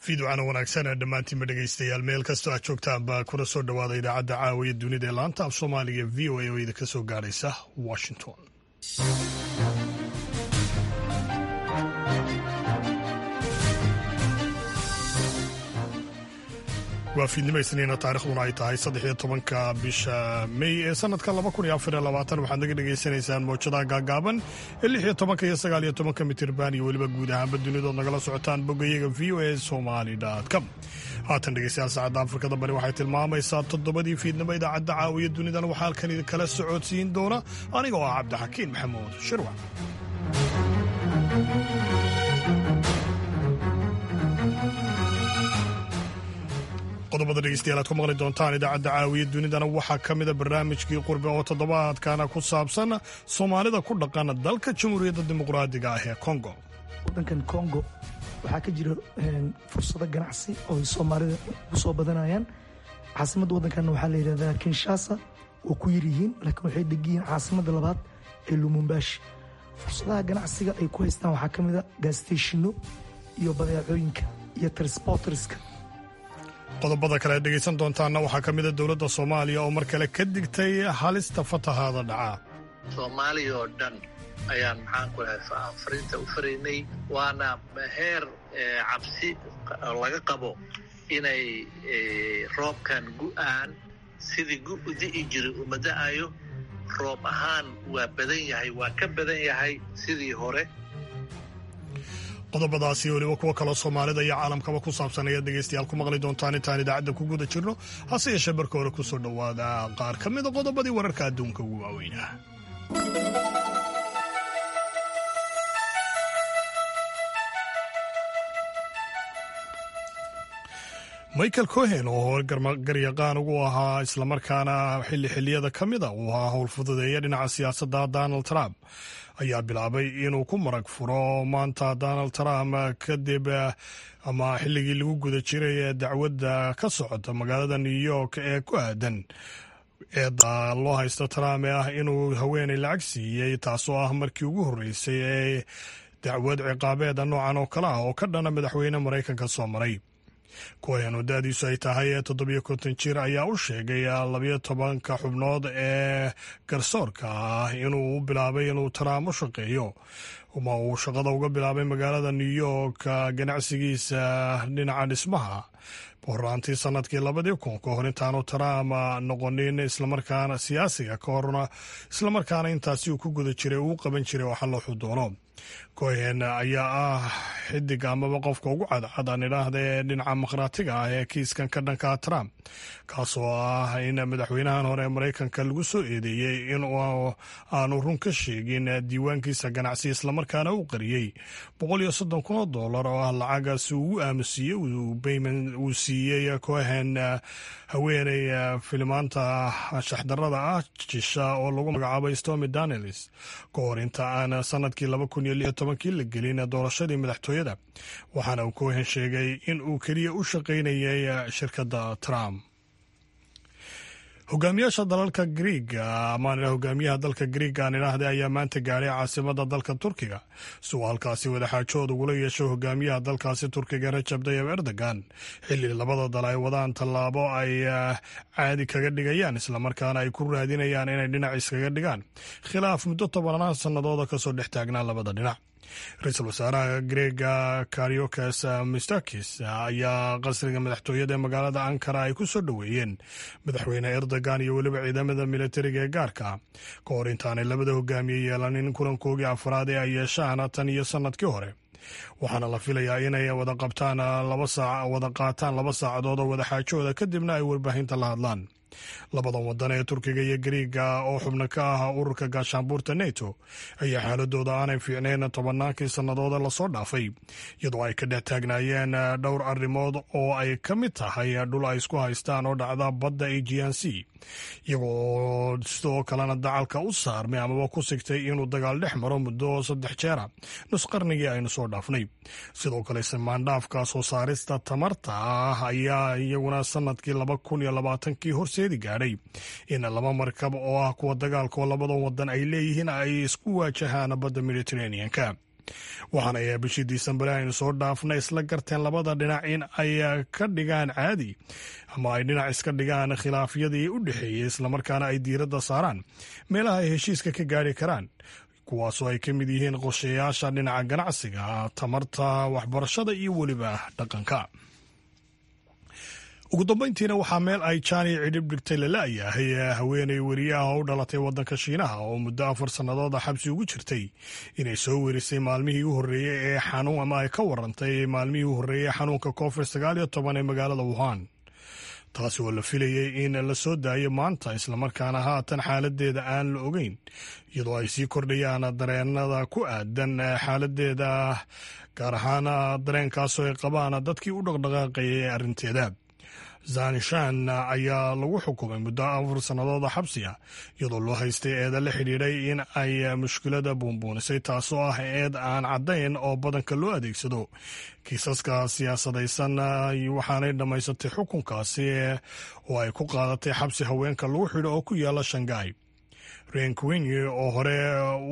Fiidwacana wanaagsan ee dhammaantiinba dhegaystayaal, meel kastoo aad joogtaanba, kuna soo dhowaada idaacadda caawiya dunida ee laanta af Soomaaliga VOA oo idinka soo gaadhaysa Washington. Waa fiidnimo Isniina, taarikhduna ay tahay 13-ka bisha Mey ee sanadka 2024. Waxaad naga dhegaysanaysaan mowjadaha gaagaaban ee 16-ka iyo 19-ka mitirban iyo weliba guud ahaanba dunidood nagala socotaan bogayaga voasomali.com. Haatan dhegeystayaal, saacadda Afrikada Bari waxay tilmaamaysaa 7-dii fiidnimo. Idaacadda caawiya dunidana waxaa halkan idinkala socodsiin doona aniga oo ah Cabdixakiin Maxamuud Shirwac. Qodobada dhegeystayaal aad ku maqli doontaan idaacadda caawiya dunidana waxaa ka mida barnaamijkii Qurbe oo toddobaadkana ku saabsan Soomaalida ku dhaqan dalka Jamhuuriyadda Dimuqraadiga ah ee Kongo. Waddankan Kongo waxaa ka jira fursado ganacsi oo ay Soomaalida ugu soo badanayaan. Caasimadda waddankan waxaa la yidhahdaa Kinshasa, waa ku yar yihiin, laakiin waxay degan yihiin caasimadda labaad ee Lumumbashi. Fursadaha ganacsiga ay ku haystaan waxaa ka mid a gaasteshino iyo badeecooyinka iyo transporterska. Qodobada kale aad dhegaysan doontaanna waxaa ka mida dowladda Soomaaliya oo mar kale ka digtay halista fatahaada dhaca. Soomaaliya oo dhan ayaan, maxaan ku lahay, fariinta u faraynay, waana heer cabsi laga qabo inay roobkan gu'aan sidii gu di'i jiray uma da'ayo. Roob ahaan waa badan yahay, waa ka badan yahay sidii hore. Qodobadaasi weliba kuwo kaloo Soomaalida iyo caalamkaba ku saabsan ayaad dhegaystayaal ku maqli doontaan intaan idaacadda ku guda jirno. Hase yeeshee marka hore kusoo dhowaada qaar ka mida qodobadii wararka adduunka ugu waaweynaa. Michael Cohen oo hore garyaqaan ugu ahaa, islamarkaana xilli xilliyada ka mida uu ahaa howlfududeeya dhinaca siyaasadda Donald Trump, ayaa bilaabay inuu ku marag furo maanta Donald Trump kadib ama xilligii lagu guda jiray ee dacwadda ka socota magaalada New York ee ku aadan eedda loo haysto Trump ee ah inuu haweeney lacag siiyey, taasoo ah markii ugu horreysay ee dacwad ciqaabeeda noocan oo kale ah oo ka dhana madaxweyne Maraykanka soo maray. Cohen oo da-diisu ay tahay 57 jir ayaa u sheegay 12-ka xubnood ee garsoorka ah inuu u bilaabay inuu Trump u shaqeeyo ama uu shaqada uga bilaabay magaalada New York ganacsigiisa dhinaca dhismaha horaantii sanadkii 2000, ka hor intaanu Trump noqonin islamarkaana siyaasiga, ka horna islamarkaana intaasi uu ku guda jiray uu qaban jiray waxa looxu doono. Cohen ayaa ah xidig amaba qofka ugu cadcad aan idhaahda ee dhinaca makhraatiga ah ee kiiskan ka dhanka Trump, kaasoo ah in madaxweynahan hore ee Maraykanka lagu soo eedeeyey in aanu run ka sheegin diiwaankiisa ganacsi, islamarkaana uu qariyey 130,000 oo dollar oo ah lacagaasi ugu aamusiiyey uu siiyey Cohen haweeney filimaanta shaxdarada ah jisha oo lagu magacaabay Stormy Daniels, ka hor inta aan sanadkii 2016-kii la gelin doorashadii madaxtooyada. Waxaana uu Cohen sheegay in uu keliya u shaqaynayay shirkadda Trump. Hogaamiyaasha dalalka Griiga amaan hogaamiyaha dalka Griiga aan idhaahda ayaa maanta gaadhay caasimada dalka Turkiga si uu halkaasi wadaxaajood ugula yeesho hogaamiyaha dalkaasi Turkiga Rajab Dayab Erdogan, xilli labada dal ay wadaan tallaabo ay caadi kaga dhigayaan, islamarkaana ay ku raadinayaan inay dhinac iskaga dhigaan khilaaf muddo tobanaan sannadooda kasoo dhex taagnaa labada dhinac. Ra-iisul wasaaraha Greega Kariokes Mistakis ayaa qasriga madaxtooyada ee magaalada Ankara ay ku soo dhoweeyeen madaxweyne Erdogan iyo weliba ciidamada militariga ee gaarka, ka hor intaanay labada hogaamiye yeelanin kulankoogii afraad ee ay yeeshaan tan iyo sanadkii hore. Waxaana la filayaa inay wada qabtaan wada qaataan 2 saacadood oo wadaxaajooda, kadibna ay warbaahinta la hadlaan. Labadan wadan ee Turkiga iyo Gariiga oo xubno ka ah ururka gaashaanbuurta NATO ayaa xaaladooda aanay fiicnayn tobannaankii sannadooda lasoo dhaafay, iyadoo ay ka dhex taagnaayeen dhowr arrimood oo ay ka mid tahay dhul ay isku haystaan oo dhacda badda Aegean Sea, iyagoo sidoo kalena dacalka u saarmay amaba ku sigtay inuu dagaal dhex maro muddo saddex jeera nus qarnigii aynu soo dhaafnay. Sidoo kale ismaandhaafka soo saarista tamarta ah ayaa iyaguna sanadkii 2020-kii horseedi gaadhay in laba markab oo ah kuwa dagaalka oo labadan wadan ay leeyihiin ay isku waajahaan badda Mediterranean-ka. Waxaana ay bishii Disembar aynu soo dhaafnay isla garteen labada dhinac in ay ka dhigaan caadi ama ay dhinac iska dhigaan khilaafyadii u dhexeeyey, islamarkaana ay diiradda saaraan meelaha ay heshiiska ka gaari karaan, kuwaasoo ay ka mid yihiin qorshayaasha dhinaca ganacsiga, tamarta, waxbarashada iyo weliba dhaqanka. Ugu dambeyntiina, waxaa meel ay jani cidhib dhigtay lala-yahay haweeney weriyaha oo u dhalatay waddanka Shiinaha oo muddo 4 sannadood xabsi ugu jirtay inay soo werisay maalmihii u horreeyey ee xanuun, ama ay ka warantay maalmihii u horreeyey xanuunka COVID-19 ee magaalada Wuhan, taasi oo la filayey in la soo daayo maanta, islamarkaana haatan xaaladeeda aan la ogeyn, iyadoo ay sii kordhayaan dareenada ku aadan xaaladeeda, gaar ahaan dareenkaasoo ay qabaan dadkii u dhaqdhaqaaqayay arrinteeda. Zanshan ayaa lagu xukumay muddo 4 sannadood xabsi ah, iyadoo loo haystay eeda la xidhiidhay in ay mushkilada buunbuunisay, taasoo ah eed aan caddayn oo badanka loo adeegsado kiisaska siyaasadaysan. Waxaanay dhammaysatay xukunkaasi oo ay ku qaadatay xabsi haweenka lagu xidho oo ku yaala Shanghai. Renquini, oo hore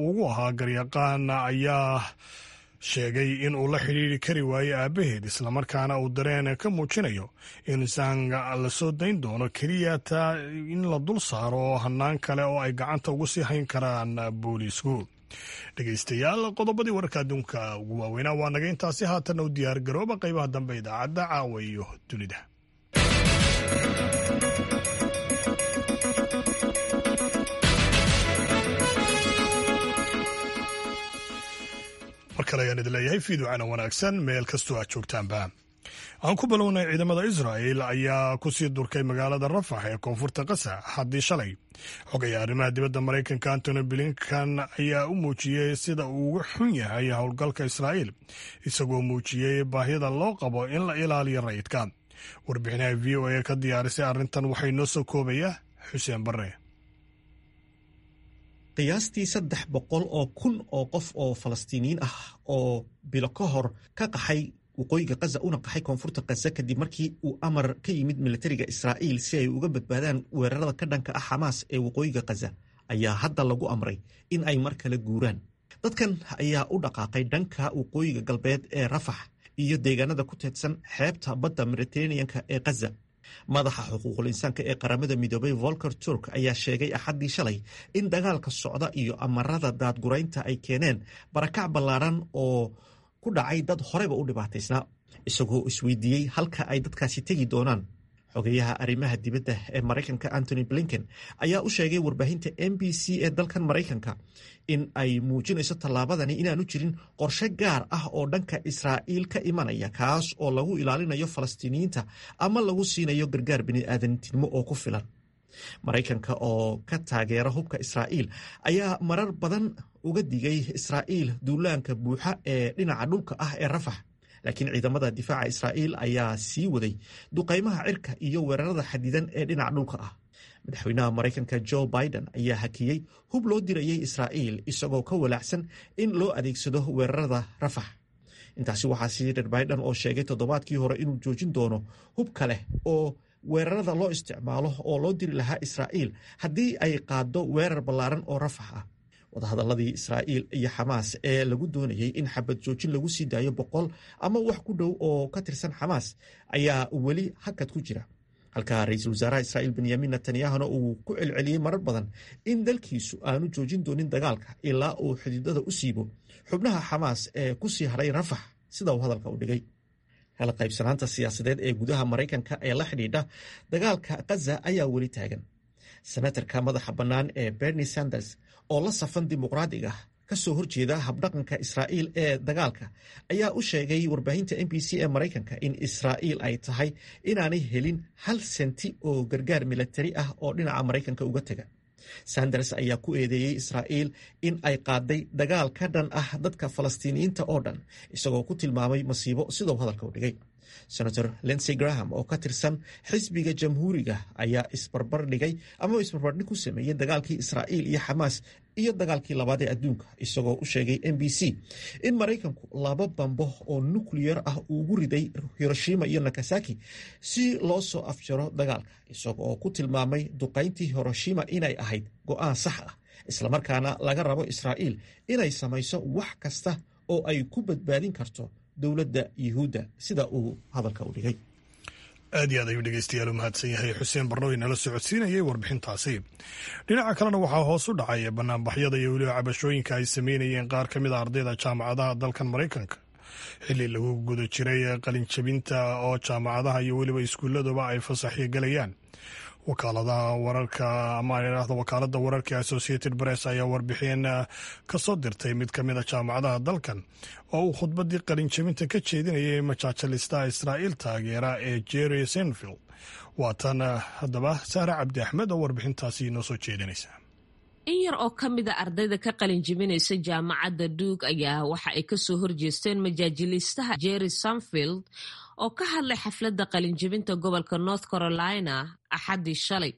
ugu ahaa garyaqaan, ayaa sheegay in uu la xidhiiri kari waayey aabaheed, islamarkaana uu dareen ka muujinayo in Zang la soo dayn doono keliya taa in la dul saaro hanaan kale oo ay gacanta ugu sii hayn karaan booliisku. Dhegeystayaal, qodobadii wararka adduunka ugu waaweynaa waa naga intaasi. Haatanna u diyaar garooba qaybaha dambe idaacadda Caawa iyo Dunida. Mar kale ayaan idin leeyahay fiiducana wanaagsan meel kastoo aad joogtaanba. Aan ku bilownay, ciidamada Israel ayaa kusii durkay magaalada Rafax ee koonfurta Qasa haddii shalay. Xogaya arrimaha dibadda Maraykanka Antony Blinkan ayaa u muujiyey sida uu uga xun yahay howlgalka Israa'iil, isagoo muujiyey baahida loo qabo in la ilaaliyo rayidka. Warbixinaha VOA ka diyaarisay arrintan waxay noo soo koobaya Xuseen Barre. Qiyaastii 300,000 oo qof oo Falastiiniyiin ah oo bilo ka hor ka qaxay waqooyiga Qaza una qaxay koonfurta Qaza kadib markii uu amar ka yimid militariga Israa'iil si ay uga badbaadaan weerarada ka dhanka ah Xamaas ee waqooyiga Qaza, ayaa hadda lagu amray in ay mar kale guuraan. Dadkan ayaa u dhaqaaqay dhanka waqooyiga galbeed ee Rafax iyo deegaanada ku teedsan xeebta badda Mediterraneanka ee Qaza. Madaxa xuquuqul insaanka ee Qaramada Midoobay Volker Turk ayaa sheegay Axaddii shalay in dagaalka socda iyo amarada daadguraynta ay keeneen barakac ballaaran oo ku dhacay dad horeyba u dhibaataysnaa, isagoo isweydiiyey halka ay dadkaasi tegi doonaan. Xogeyaha arrimaha dibadda ee Maraykanka Antony Blinken ayaa u sheegay warbaahinta NBC ee dalkan Maraykanka in ay muujinayso tallaabadani inaanu jirin qorshe gaar ah oo dhanka Israa'iil ka imanaya, kaas oo lagu ilaalinayo Falastiiniyiinta ama lagu siinayo gargaar bini'aadantinimo oo ku filan. Maraykanka oo ka taageera hubka Israa'iil ayaa marar badan uga digay Israa'iil duulaanka buuxa ee dhinaca dhulka ah ee Rafax, laakiin ciidamada difaaca Israa'iil ayaa sii waday duqaymaha cirka iyo weerarada xadidan ee dhinaca dhulka ah. Madaxweynaha Maraykanka Joe Biden ayaa hakiyey hub loo dirayay Israa'iil, isagoo ka walaacsan in loo adeegsado weerarada Rafax. Intaasi waxaa sii dheer Biden oo sheegay toddobaadkii hore inuu joojin doono hub kale oo weerarada loo isticmaalo oo loo diri lahaa Israa'iil haddii ay qaaddo weerar ballaaran oo Rafax ah. Wadahadaladii Israa'iil iyo Xamaas ee lagu doonayey in xabad joojin lagu sii daayo 100 ama wax ku dhow oo ka tirsan Xamaas ayaa weli hakad ku jira, halka ra-iisul wasaaraha Israa'iil Benyamin Netanyahuna uu ku celceliyey marar badan in dalkiisu aanu joojin doonin dagaalka ilaa uu xididada u siibo xubnaha Xamaas ee ku sii haray Rafax, sida uu hadalka u dhigay. Kala qaybsanaanta siyaasadeed ee gudaha Maraykanka ee la xidhiidha dagaalka Qaza ayaa weli taagan. Senatarka madaxa bannaan ee Bernie Sanders oo la safan Dimuqraadiga kasoo horjeeda habdhaqanka Israa'iil ee dagaalka ayaa u sheegay warbaahinta NBC ee Maraykanka in Israa'iil ay tahay inaanay helin hal senti oo gargaar milatari ah oo dhinaca Maraykanka uga taga. Sanders ayaa ku eedeeyey Israa'iil in ay qaaday dagaal ka dhan ah dadka Falastiiniyiinta oo dhan, isagoo ku tilmaamay masiibo, sidau hadalka u dhigay. Senator Lindsey Graham oo ka tirsan xisbiga Jamhuuriga ayaa isbarbar dhigay ama isbarbardhig ku sameeyey dagaalkii Israa'iil iyo Xamaas iyo dagaalkii labaad ee adduunka, isagoo u sheegay NBC in Maraykanku laba bambo oo nuclear ah uu ugu riday Hiroshima iyo Nakasaki si loo soo afjaro dagaalka, isaga oo ku tilmaamay duqayntii Hiroshima inay ahayd go'aan sax ah, islamarkaana laga rabo Israa'iil inay samayso wax kasta. oo ay ku badbaadin karto dowladda Yuhuudda, sida uu hadalka u dhigay. Aad iyo aad ayuu dhegeystayaal u mahadsan yahay Xuseen Barnooy nala socodsiinayay warbixintaasi. Dhinaca kalena, waxaa hoos u dhacay banaanbaxyada iyo weliba cabashooyinka ay sameynayeen qaar ka mid a ardayda jaamacadaha dalkan Maraykanka, xilli lagu guda jiray qalinjabinta oo jaamacadaha iyo weliba iskuulladuba ay fasaxyo gelayaan. Wakaaladaha wararka ama idhaahdo wakaaladda wararka Associated Press ayaa warbixin ka soo dirtay mid ka mid a jaamacadaha dalkan oo uu khudbaddii qalinjabinta ka jeedinayay majaajilistaha Israa'iil taageera ee Jerry Seinfeld. Waa tan haddaba Sahre Cabdi Axmed oo warbixintaasi inoo soo jeedinaysa. In yar oo ka mid a ardayda ka qalin jebinaysa jaamacadda Duke ayaa waxa ay kasoo horjeesteen majaajiliistaha Jerry Seinfeld oo ka hadlay xafladda qalinjebinta gobolka North Carolina Axaddii shalay,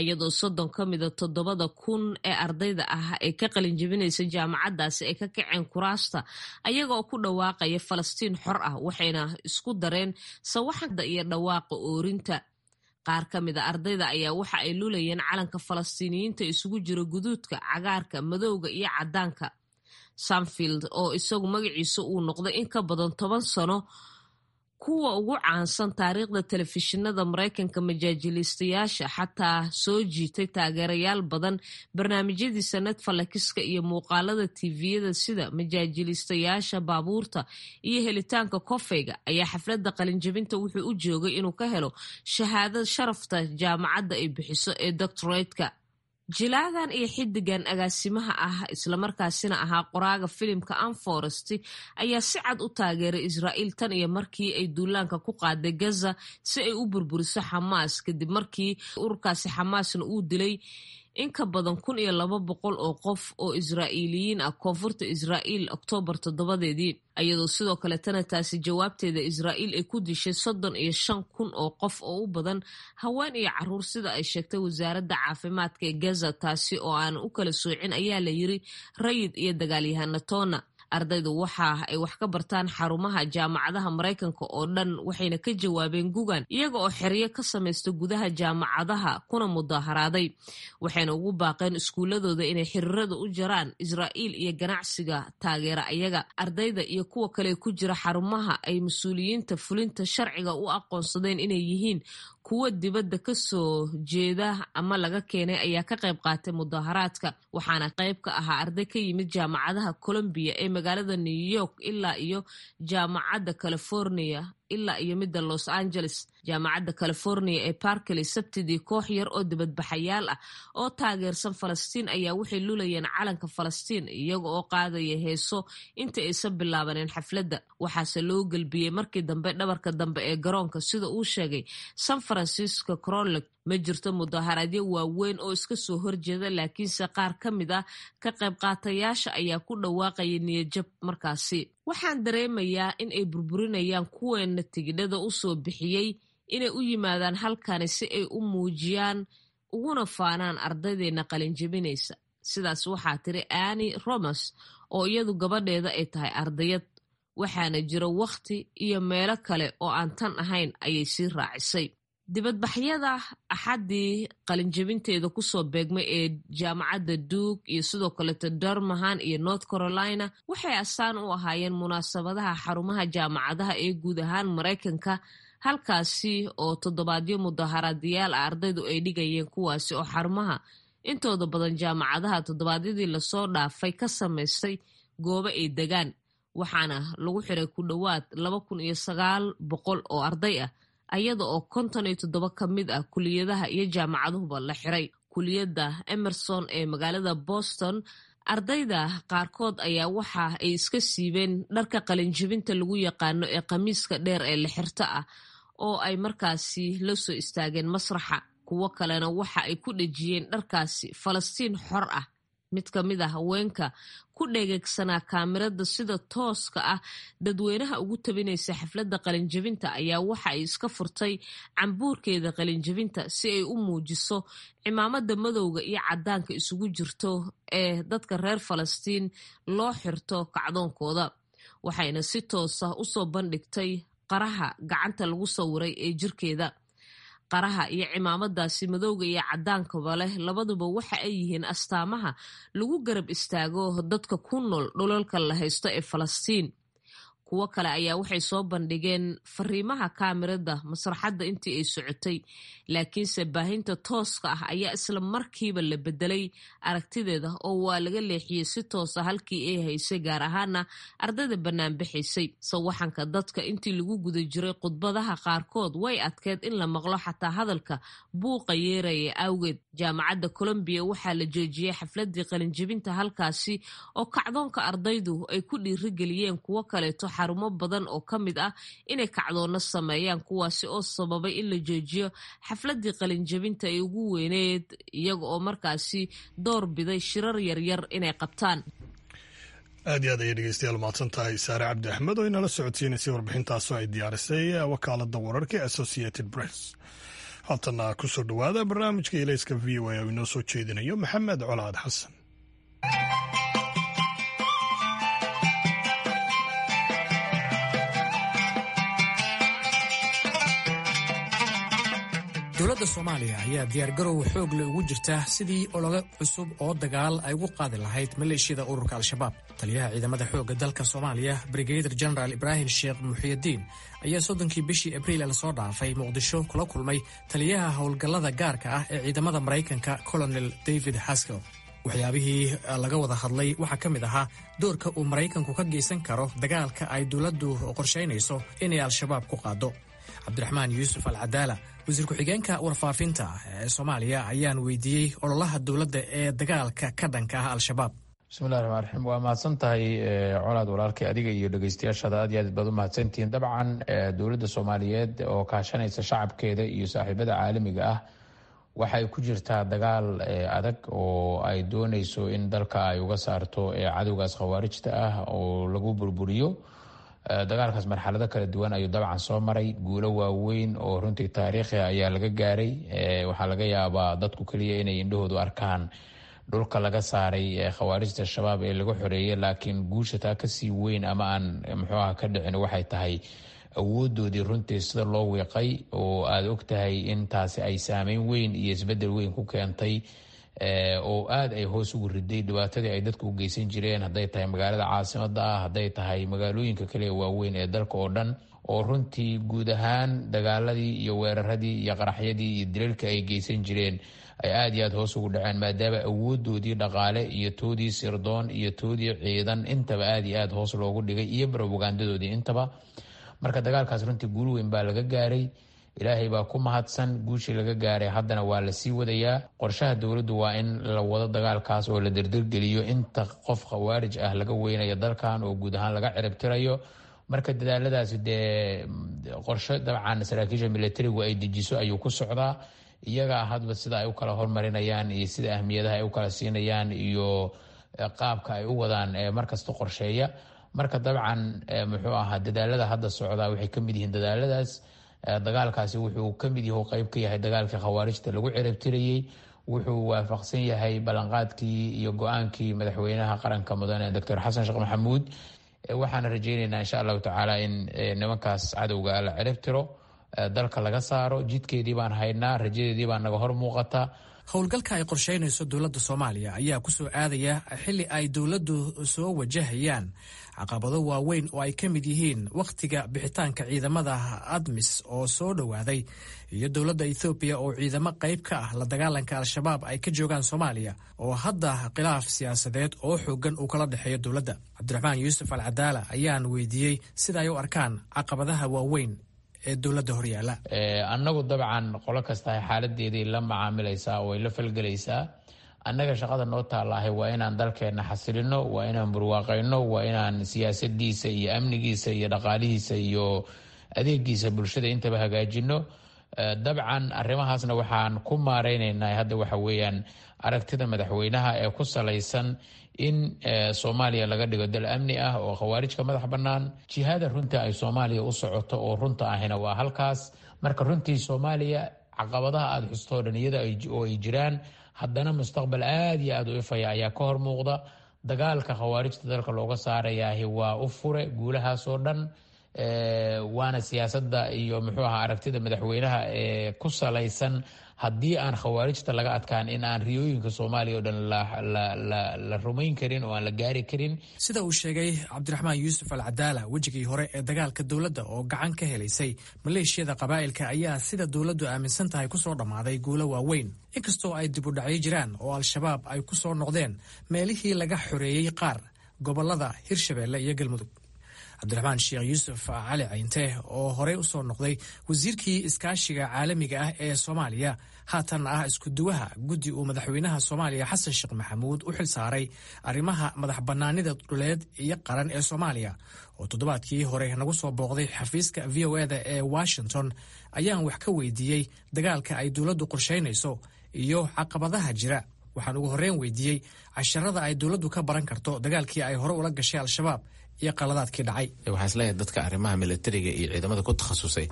iyadoo 30 ka mida 7,000 ee ardayda ah ee ka qalinjebinaysa jaamacaddaasi ay ka kaceen kuraasta ayaga oo ku dhawaaqaya "Falastiin xor ah", waxayna isku dareen sawaxada iyo dhawaaqa oorinta. Qaar ka mid a ardayda ayaa waxa ay lulayeen calanka Falastiiniyiinta isugu jira guduudka, cagaarka, madowga iyo caddaanka. Seinfeld, oo isagu magaciisa uu noqday in ka badan 10 sano kuwa ugu caansan taariikhda telefishinada Maraykanka majaajiliistayaasha, xataa soo jiitay taageerayaal badan barnaamijyadiisa Netflixka iyo muuqaalada TV-yada sida majaajiliistayaasha baabuurta iyo helitaanka kofeyga, ayaa xafladda qalinjabinta wuxuu u joogay inuu ka helo shahaadad sharafta jaamacadda ay bixiso ee doctorate-ka. Jilaagan iyo xidigan agaasimaha ah, islamarkaasina ahaa qoraaga filimka Unforest, ayaa si cad u taageeray Israa'iil tan iyo markii ay duulaanka ku qaaday Gaza si ay u burburiso Xamaas, kadib markii ururkaasi Xamaasna uu dilay in ka badan 1200 oo qof oo Israa'iiliyiin ah koonfurta Israa'iil Oktoobar 7-deedii, iyadoo sidoo kaletana taasi jawaabteeda Israa'iil ay ku dishay 35,000 oo qof oo u badan haween iyo caruur, sida ay sheegtay wasaaradda caafimaadka ee Gaza, taasi oo aan u kala soocin, ayaa la yiri, rayid iyo dagaalyahana toona. Ardaydu waxa ay wax ka bartaan xarumaha jaamacadaha Maraykanka oo dhan, waxayna ka jawaabeen gugan iyaga oo xeryo ka samaysta gudaha jaamacadaha kuna mudaharaaday, waxayna ugu baaqeen iskuuladooda inay xiriirada u jaraan Israa'iil iyo ganacsiga taageera ayaga. Ardayda iyo kuwa kale ku jira xarumaha ay mas-uuliyiinta fulinta sharciga u aqoonsadeen inay yihiin kuwo dibadda ka soo jeeda ama laga keenay ayaa ka qayb qaatay mudaharaadka, waxaana qayb ka ahaa arday ka yimid jaamacadaha Columbia ee magaalada New York ilaa iyo jaamacadda California ilaa iyo midda Los Angeles. Jaamacadda California ee Berkeley, Sabtidii, koox yar oo dibadbaxayaal ah oo taageersan Falastiin ayaa waxay lulayeen calanka Falastiin iyaga oo qaadaya heeso inta aysan bilaabaneen xafladda. Waxaase loo gelbiyey markii dambe dhabarka dambe ee garoonka, sida uu sheegay San Francisco Chronicle. Ma jirto mudaharaadyo waaweyn oo iska soo horjeeda, laakiinse qaar ka mid ah ka qayb qaatayaasha ayaa ku dhawaaqaya niyadjab markaasi. "Waxaan dareemayaa in ay burburinayaan kuweena tigidhada u soo bixiyey inay u yimaadaan halkani si ay u muujiyaan uguna faanaan ardaydeena qalinjebinaysa," sidaas waxaa tiri Anni Romas, oo iyadu gabadheeda ay tahay ardayad. "Waxaana jira wakhti iyo meelo kale oo aan tan ahayn," ayay sii raacisay. Dibadbaxyada Axaddii qalinjebinteeda kusoo beegmay ee jaamacadda Duke iyo sidoo kaleeto Durham iyo North Carolina waxay astaan u ahaayeen munaasabadaha xarumaha jaamacadaha ee guud ahaan Maraykanka, halkaasi oo toddobaadyo mudaharaadayaal ah ardaydu ay dhigayeen, kuwaasi oo xarumaha intooda badan jaamacadaha toddobaadyadii lasoo dhaafay ka samaystay goobo ay degaan, waxaana lagu xiray ku dhowaad 2900 oo arday ah, ayada oo 57 ka mid ah kuliyadaha iyo jaamacaduhuba la xiray. Kuliyadda Emerson ee magaalada Boston, ardayda qaarkood ayaa waxa ay iska siibeen dharka qalinjibinta lagu yaqaano ee khamiiska dheer ee la xirto ah oo ay markaasi la soo istaageen masraxa. Kuwo kalena waxa ay ku dhejiyeen dharkaasi "Falastiin xor ah". Mid ka mid a haweenka ku dhegeegsanaa kaamirada sida tooska ah dadweynaha ugu tabinaysa xafladda qalinjabinta ayaa waxa ay iska furtay cambuurkeeda qalinjabinta si ay u muujiso cimaamada madowga iyo caddaanka isugu jirto ee dadka reer Falastiin loo xirto kacdoonkooda, waxayna si toosa usoo bandhigtay qaraha gacanta lagu sawiray ee jirkeeda. Qaraha iyo cimaamadaasi madowga iyo cadaankaba leh labaduba waxa ay yihiin astaamaha lagu garab istaago dadka ku nool dhulalka la haysto ee Falastiin. Kuwo kale ayaa waxay soo bandhigeen fariimaha kaamirada masraxadda intii ay socotay, laakiinse baahinta tooska ah ayaa isla markiiba la bedelay aragtideeda oo waa laga leexiyey si toosa halkii ay haysay, gaar ahaana ardayda banaanbixaysay. Sawaxanka dadka intii lagu guda jiray khudbadaha qaarkood way adkeyd in la maqlo xataa hadalka buuqa yeeraya awgeed. Jaamacadda Colombia waxaa la joojiyey xafladii qalinjibinta halkaasi oo kacdoonka ardaydu ay ku dhiirigeliyeen kuwo kaleeto xarumo badan oo ka mid ah inay kacdoonno sameeyaan, kuwaasi oo sababay in la joojiyo xafladii qalinjabinta ay ugu weyneed, iyaga oo markaasi door biday shirar yaryar inay qabtaan. Aad iyo aad ayay dhegeystayaal mahadsan tahay Saare Cabdi Axmed oo inala socodsiinaysay warbixintaasoo ay diyaarisay wakaalada wararka ee Associated Press. Haatana kusoo dhowaada barnaamijka Ilayska VOA oo inoo soo jeedinayo Maxamed Colaad Xasan. Dowladda Soomaaliya ayaa diyaargarow xoog le ugu jirta sidii olole cusub oo dagaal ay ugu qaadi lahayd maleeshiyada ururka Al-Shabaab. Taliyaha ciidamada xoogga dalka Soomaaliya, Brigadir Genaraal Ibraahim Sheekh Muxiyadiin, ayaa 30-kii bishii Abriil lasoo dhaafay Muqdisho kula kulmay taliyaha howlgallada gaarka ah ee ciidamada Maraykanka, Colonel David Haskell. Waxyaabihii laga wada hadlay waxaa ka mid ahaa doorka uu Maraykanku ka geysan karo dagaalka ay dowladdu qorshaynayso inay Al-Shabaab ku qaado. Cabdiraxmaan Yuusuf Alcadaala, wasiir ku-xigeenka warfaafinta ee Soomaaliya, ayaan weydiiyey ololaha dowladda ee dagaalka ka dhanka ah Al-Shabaab. Bismillahi raxmaan raxiim. Waa mahadsan tahay Colaad, walaalkay, adiga iyo dhegeystayaashaada aad iyo aad baad u mahadsantihiin. Dabcan dowladda Soomaaliyeed oo kaashanaysa shacabkeeda iyo saaxiibada caalamiga ah waxay ku jirtaa dagaal adag oo ay dooneyso in dalka ay uga saarto cadowgaas khawaarijta ah oo lagu burburiyo. Dagaalkaas marxalado kala duwan ayuu dabcan soo maray. Guulo waaweyn oo runtii taariikhi ayaa laga gaaray. Waxaa laga yaabaa dadku keliya inay indhahoodu arkaan dhulka laga saaray khawaarijta Shabaab ee laga xoreeyay, laakiin guusha taa kasii weyn ama aan muxuu aha ka dhicin waxay tahay awoodoodii runtii sida loo wiiqay, oo aada ogtahay in taasi ay saameyn weyn iyo isbedel weyn ku keentay oo aada ay hoos ugu riday dhibaatadii ay dadku u geysan jireen, hadday tahay magaalada caasimada ah, hadday tahay magaalooyinka kale waaweyn ee dalka oo dhan, oo runtii guud ahaan dagaaladii iyo weeraradii iyo qaraxyadii iyo dilalka ay geysan jireen ay aada iyo aada hoos ugu dhaceen, maadaama awoodoodii dhaqaale iyo toodii sirdoon iyo toodii ciidan intaba aada iyo aada hoos loogu dhigay, iyo robogandadoodii intaba. Marka dagaalkaas runtii guul weyn baa laga gaaray. Ilaahay baa ku mahadsan guushii laga gaaray. Haddana waa la sii wadayaa. Qorshaha dowladdu waa in la wado dagaalkaas oo la derdergeliyo inta qof khawaarij ah laga weynayo dalkan oo guud ahaan laga ciribtirayo. Marka dadaaladaasi dee qorshe dabcan saraakiisha militarigu ay dejiso ayuu ku socdaa. Iyagaa hadba sida ay u kala hormarinayaan iyo sida ahmiyadaha ay u kala siinayaan iyo qaabka ay u wadaan markasta qorsheeya. Marka dabcan muxuu ahaa dadaalada hadda socdaa waxay kamid yihiin dadaaladaas. Dagaalkaasi wuxuu kamid yahu qeyb ka yahay dagaalkii khawaarijta lagu ciribtirayey. Wuxuu waafaqsan yahay ballanqaadkii iyo go-aankii madaxweynaha qaranka, mudane Doctor Xasan Sheekh Maxamuud. Waxaana rajeyneynaa insha Allahu tacaala in nimankaas cadowga la ciribtiro, dalka laga saaro. Jidkeedii baan haynaa, rajadeedii baa naga hor muuqata. Howlgalka ay qorshaynayso dowladda Soomaaliya ayaa ku soo aadaya xilli ay dowladdu soo wajahayaan caqabado waaweyn oo ay ka mid yihiin wakhtiga bixitaanka ciidamada ADMIS oo soo dhowaaday iyo dowladda Ethoobiya oo ciidamo qayb ka ah la dagaalanka Al-Shabaab ay ka joogaan Soomaaliya, oo hadda khilaaf siyaasadeed oo xoogan uu kala dhexeeyo dowladda. Cabdiraxmaan Yuusuf Alcadaala ayaan weydiiyey sida ay u arkaan caqabadaha waaweyn ee dowladda horyaala. Annagu dabcan qolo kastahay xaaladeeday la macaamilaysaa oo ay la falgelaysaa. Annaga shaqada noo taallaahay waa inaan dalkeenna xasilino, waa inaan burwaaqayno, waa inaan siyaasadiisa iyo amnigiisa iyo dhaqaalihiisa iyo adeegiisa bulshada intaba hagaajino. Dabcan arrimahaasna waxaan ku maareyneynaa hadda waxa weeyaan aragtida madaxweynaha ee ku salaysan in Soomaaliya laga dhigo dal amni ah oo khawaarijka madax bannaan. Jihada runta ay Soomaaliya u socoto oo runta ahina waa halkaas. Marka runtii Soomaaliya caqabadaha aada xustoo dhan iyada oo ay jiraan, haddana mustaqbal aada iyo aada u ifaya ayaa ka hor muuqda. Dagaalka khawaarijta dalka looga saarayaahi waa u fure guulahaasoo dhan. Waana siyaasadda iyo muxuu ahaa aragtida madaxweynaha ee ku salaysan haddii aan khawaarijta laga adkaan in aan riyooyinka Soomaaliya oo dhan la rumayn karin oo aan la gaari karin. Sida uu sheegay Cabdiraxmaan Yuusuf Al Cadaala, wejigii hore ee dagaalka dowladda oo gacan ka helaysay maleeshiyada qabaa'ilka ayaa sida dowladdu aaminsan tahay kusoo dhammaaday guulo waaweyn, inkastoo ay dib u dhacyo jiraan oo Al-Shabaab ay ku soo noqdeen meelihii laga xoreeyey qaar gobollada Hirshabeelle iyo Galmudug. Cabdiraxmaan Sheekh Yuusuf Cali Cayinte, oo horey u soo noqday wasiirkii iskaashiga caalamiga ah ee Soomaaliya, haatanna ah isku-duwaha guddi uu madaxweynaha Soomaaliya Xasan Sheekh Maxamuud u xil saaray arrimaha madax bannaanida dhuleed iyo qaran ee Soomaaliya, oo toddobaadkii hore nagu soo booqday xafiiska VOA-da ee Washington, ayaan wax ka weydiiyey dagaalka ay dowladdu qorshaynayso iyo caqabadaha jira. Waxaan ugu horreyn weydiiyey casharada ay dowladdu ka baran karto dagaalkii ay hore ula gashay Al-Shabaab iyo qaladaadkii dhacay. Waxaan isleeyahay dadka arrimaha militariga iyo ciidamada ku takhasusay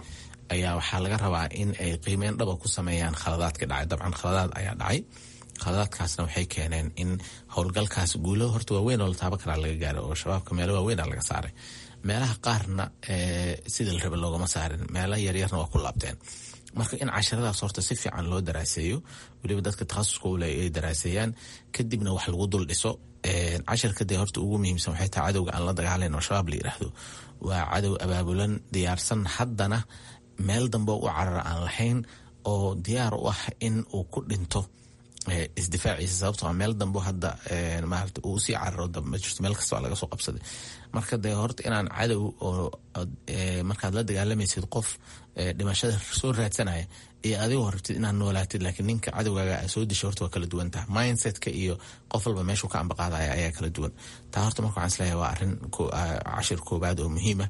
ayaa waxaa laga rabaa in ay qiimeyn dhaba ku sameeyaan khaladaadka dhacay. Dabcan khaladaad ayaa dhacay, khaladaadkaasna waxay keeneen in howlgalkaas guulo horta waaweyn oo la taaban karaa laga gaaro, oo Shabaabka meelo waaweyn a laga saaray, meelaha qaarna sidii la raba loogama saarin, meelaha yaryarna waa ku laabteen. Marka in casharadaas horta si fiican loo daraaseeyo, weliba dadka takhasuska ule ay daraaseeyaan, kadibna wax lagu dul dhiso. Casharka dee horta ugu muhiimsan waxay tahay cadowga aan la dagaalayn oo Shabaab la yiraahdo waa cadow abaabulan, diyaarsan, haddana meel dambe u carara aan lahayn, oo diyaar u ah in uu ku dhinto isdifaaciisa, sababtoo meel dambo hadda maarata uu usii cararo ma jirto, meel kasta waa laga soo qabsaday. Marka dee horta inaan cadow oo markaad la dagaalamaysid qof dhimashada soo raadsanaya iyo adigoo rabtid inaad noolaatid, laakiin ninka cadowgaaga aa soo dishay, horta waa kala duwan taha. Mindsetka iyo qof walba meeshuu ka ambaqaadaya ayaa kala duwan taa. Horta marka waxaan isleeyahay waa arrin cashir koobaad oo muhiima.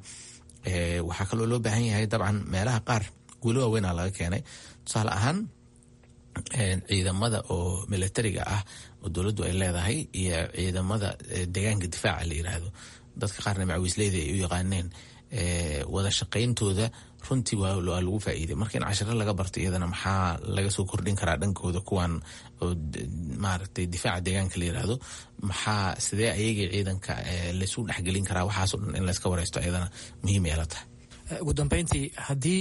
Waxaa kaloo loo baahan yahay, dabcan meelaha qaar guulo waaweynaa laga keenay, tusaale ahaan ciidamada oo militariga ah oo dowladdu ay leedahay iyo ciidamada deegaanka difaaca la yiraahdo, dadka qaarna macawiisleyda ay u yaqaaneen, wada shaqayntooda runtii waa lagu faa'iiday. Marka in cashiro laga barto iyadana, maxaa laga soo kordhin karaa dhankooda kuwan oo maaragtay difaaca deegaanka la yiraahdo, maxaa sidee ayagii ciidanka laysu dhexgelin karaa, waxaasoo dhan in layska wareysto iyadana muhiim ay la tahay. Ugu dambeyntii, haddii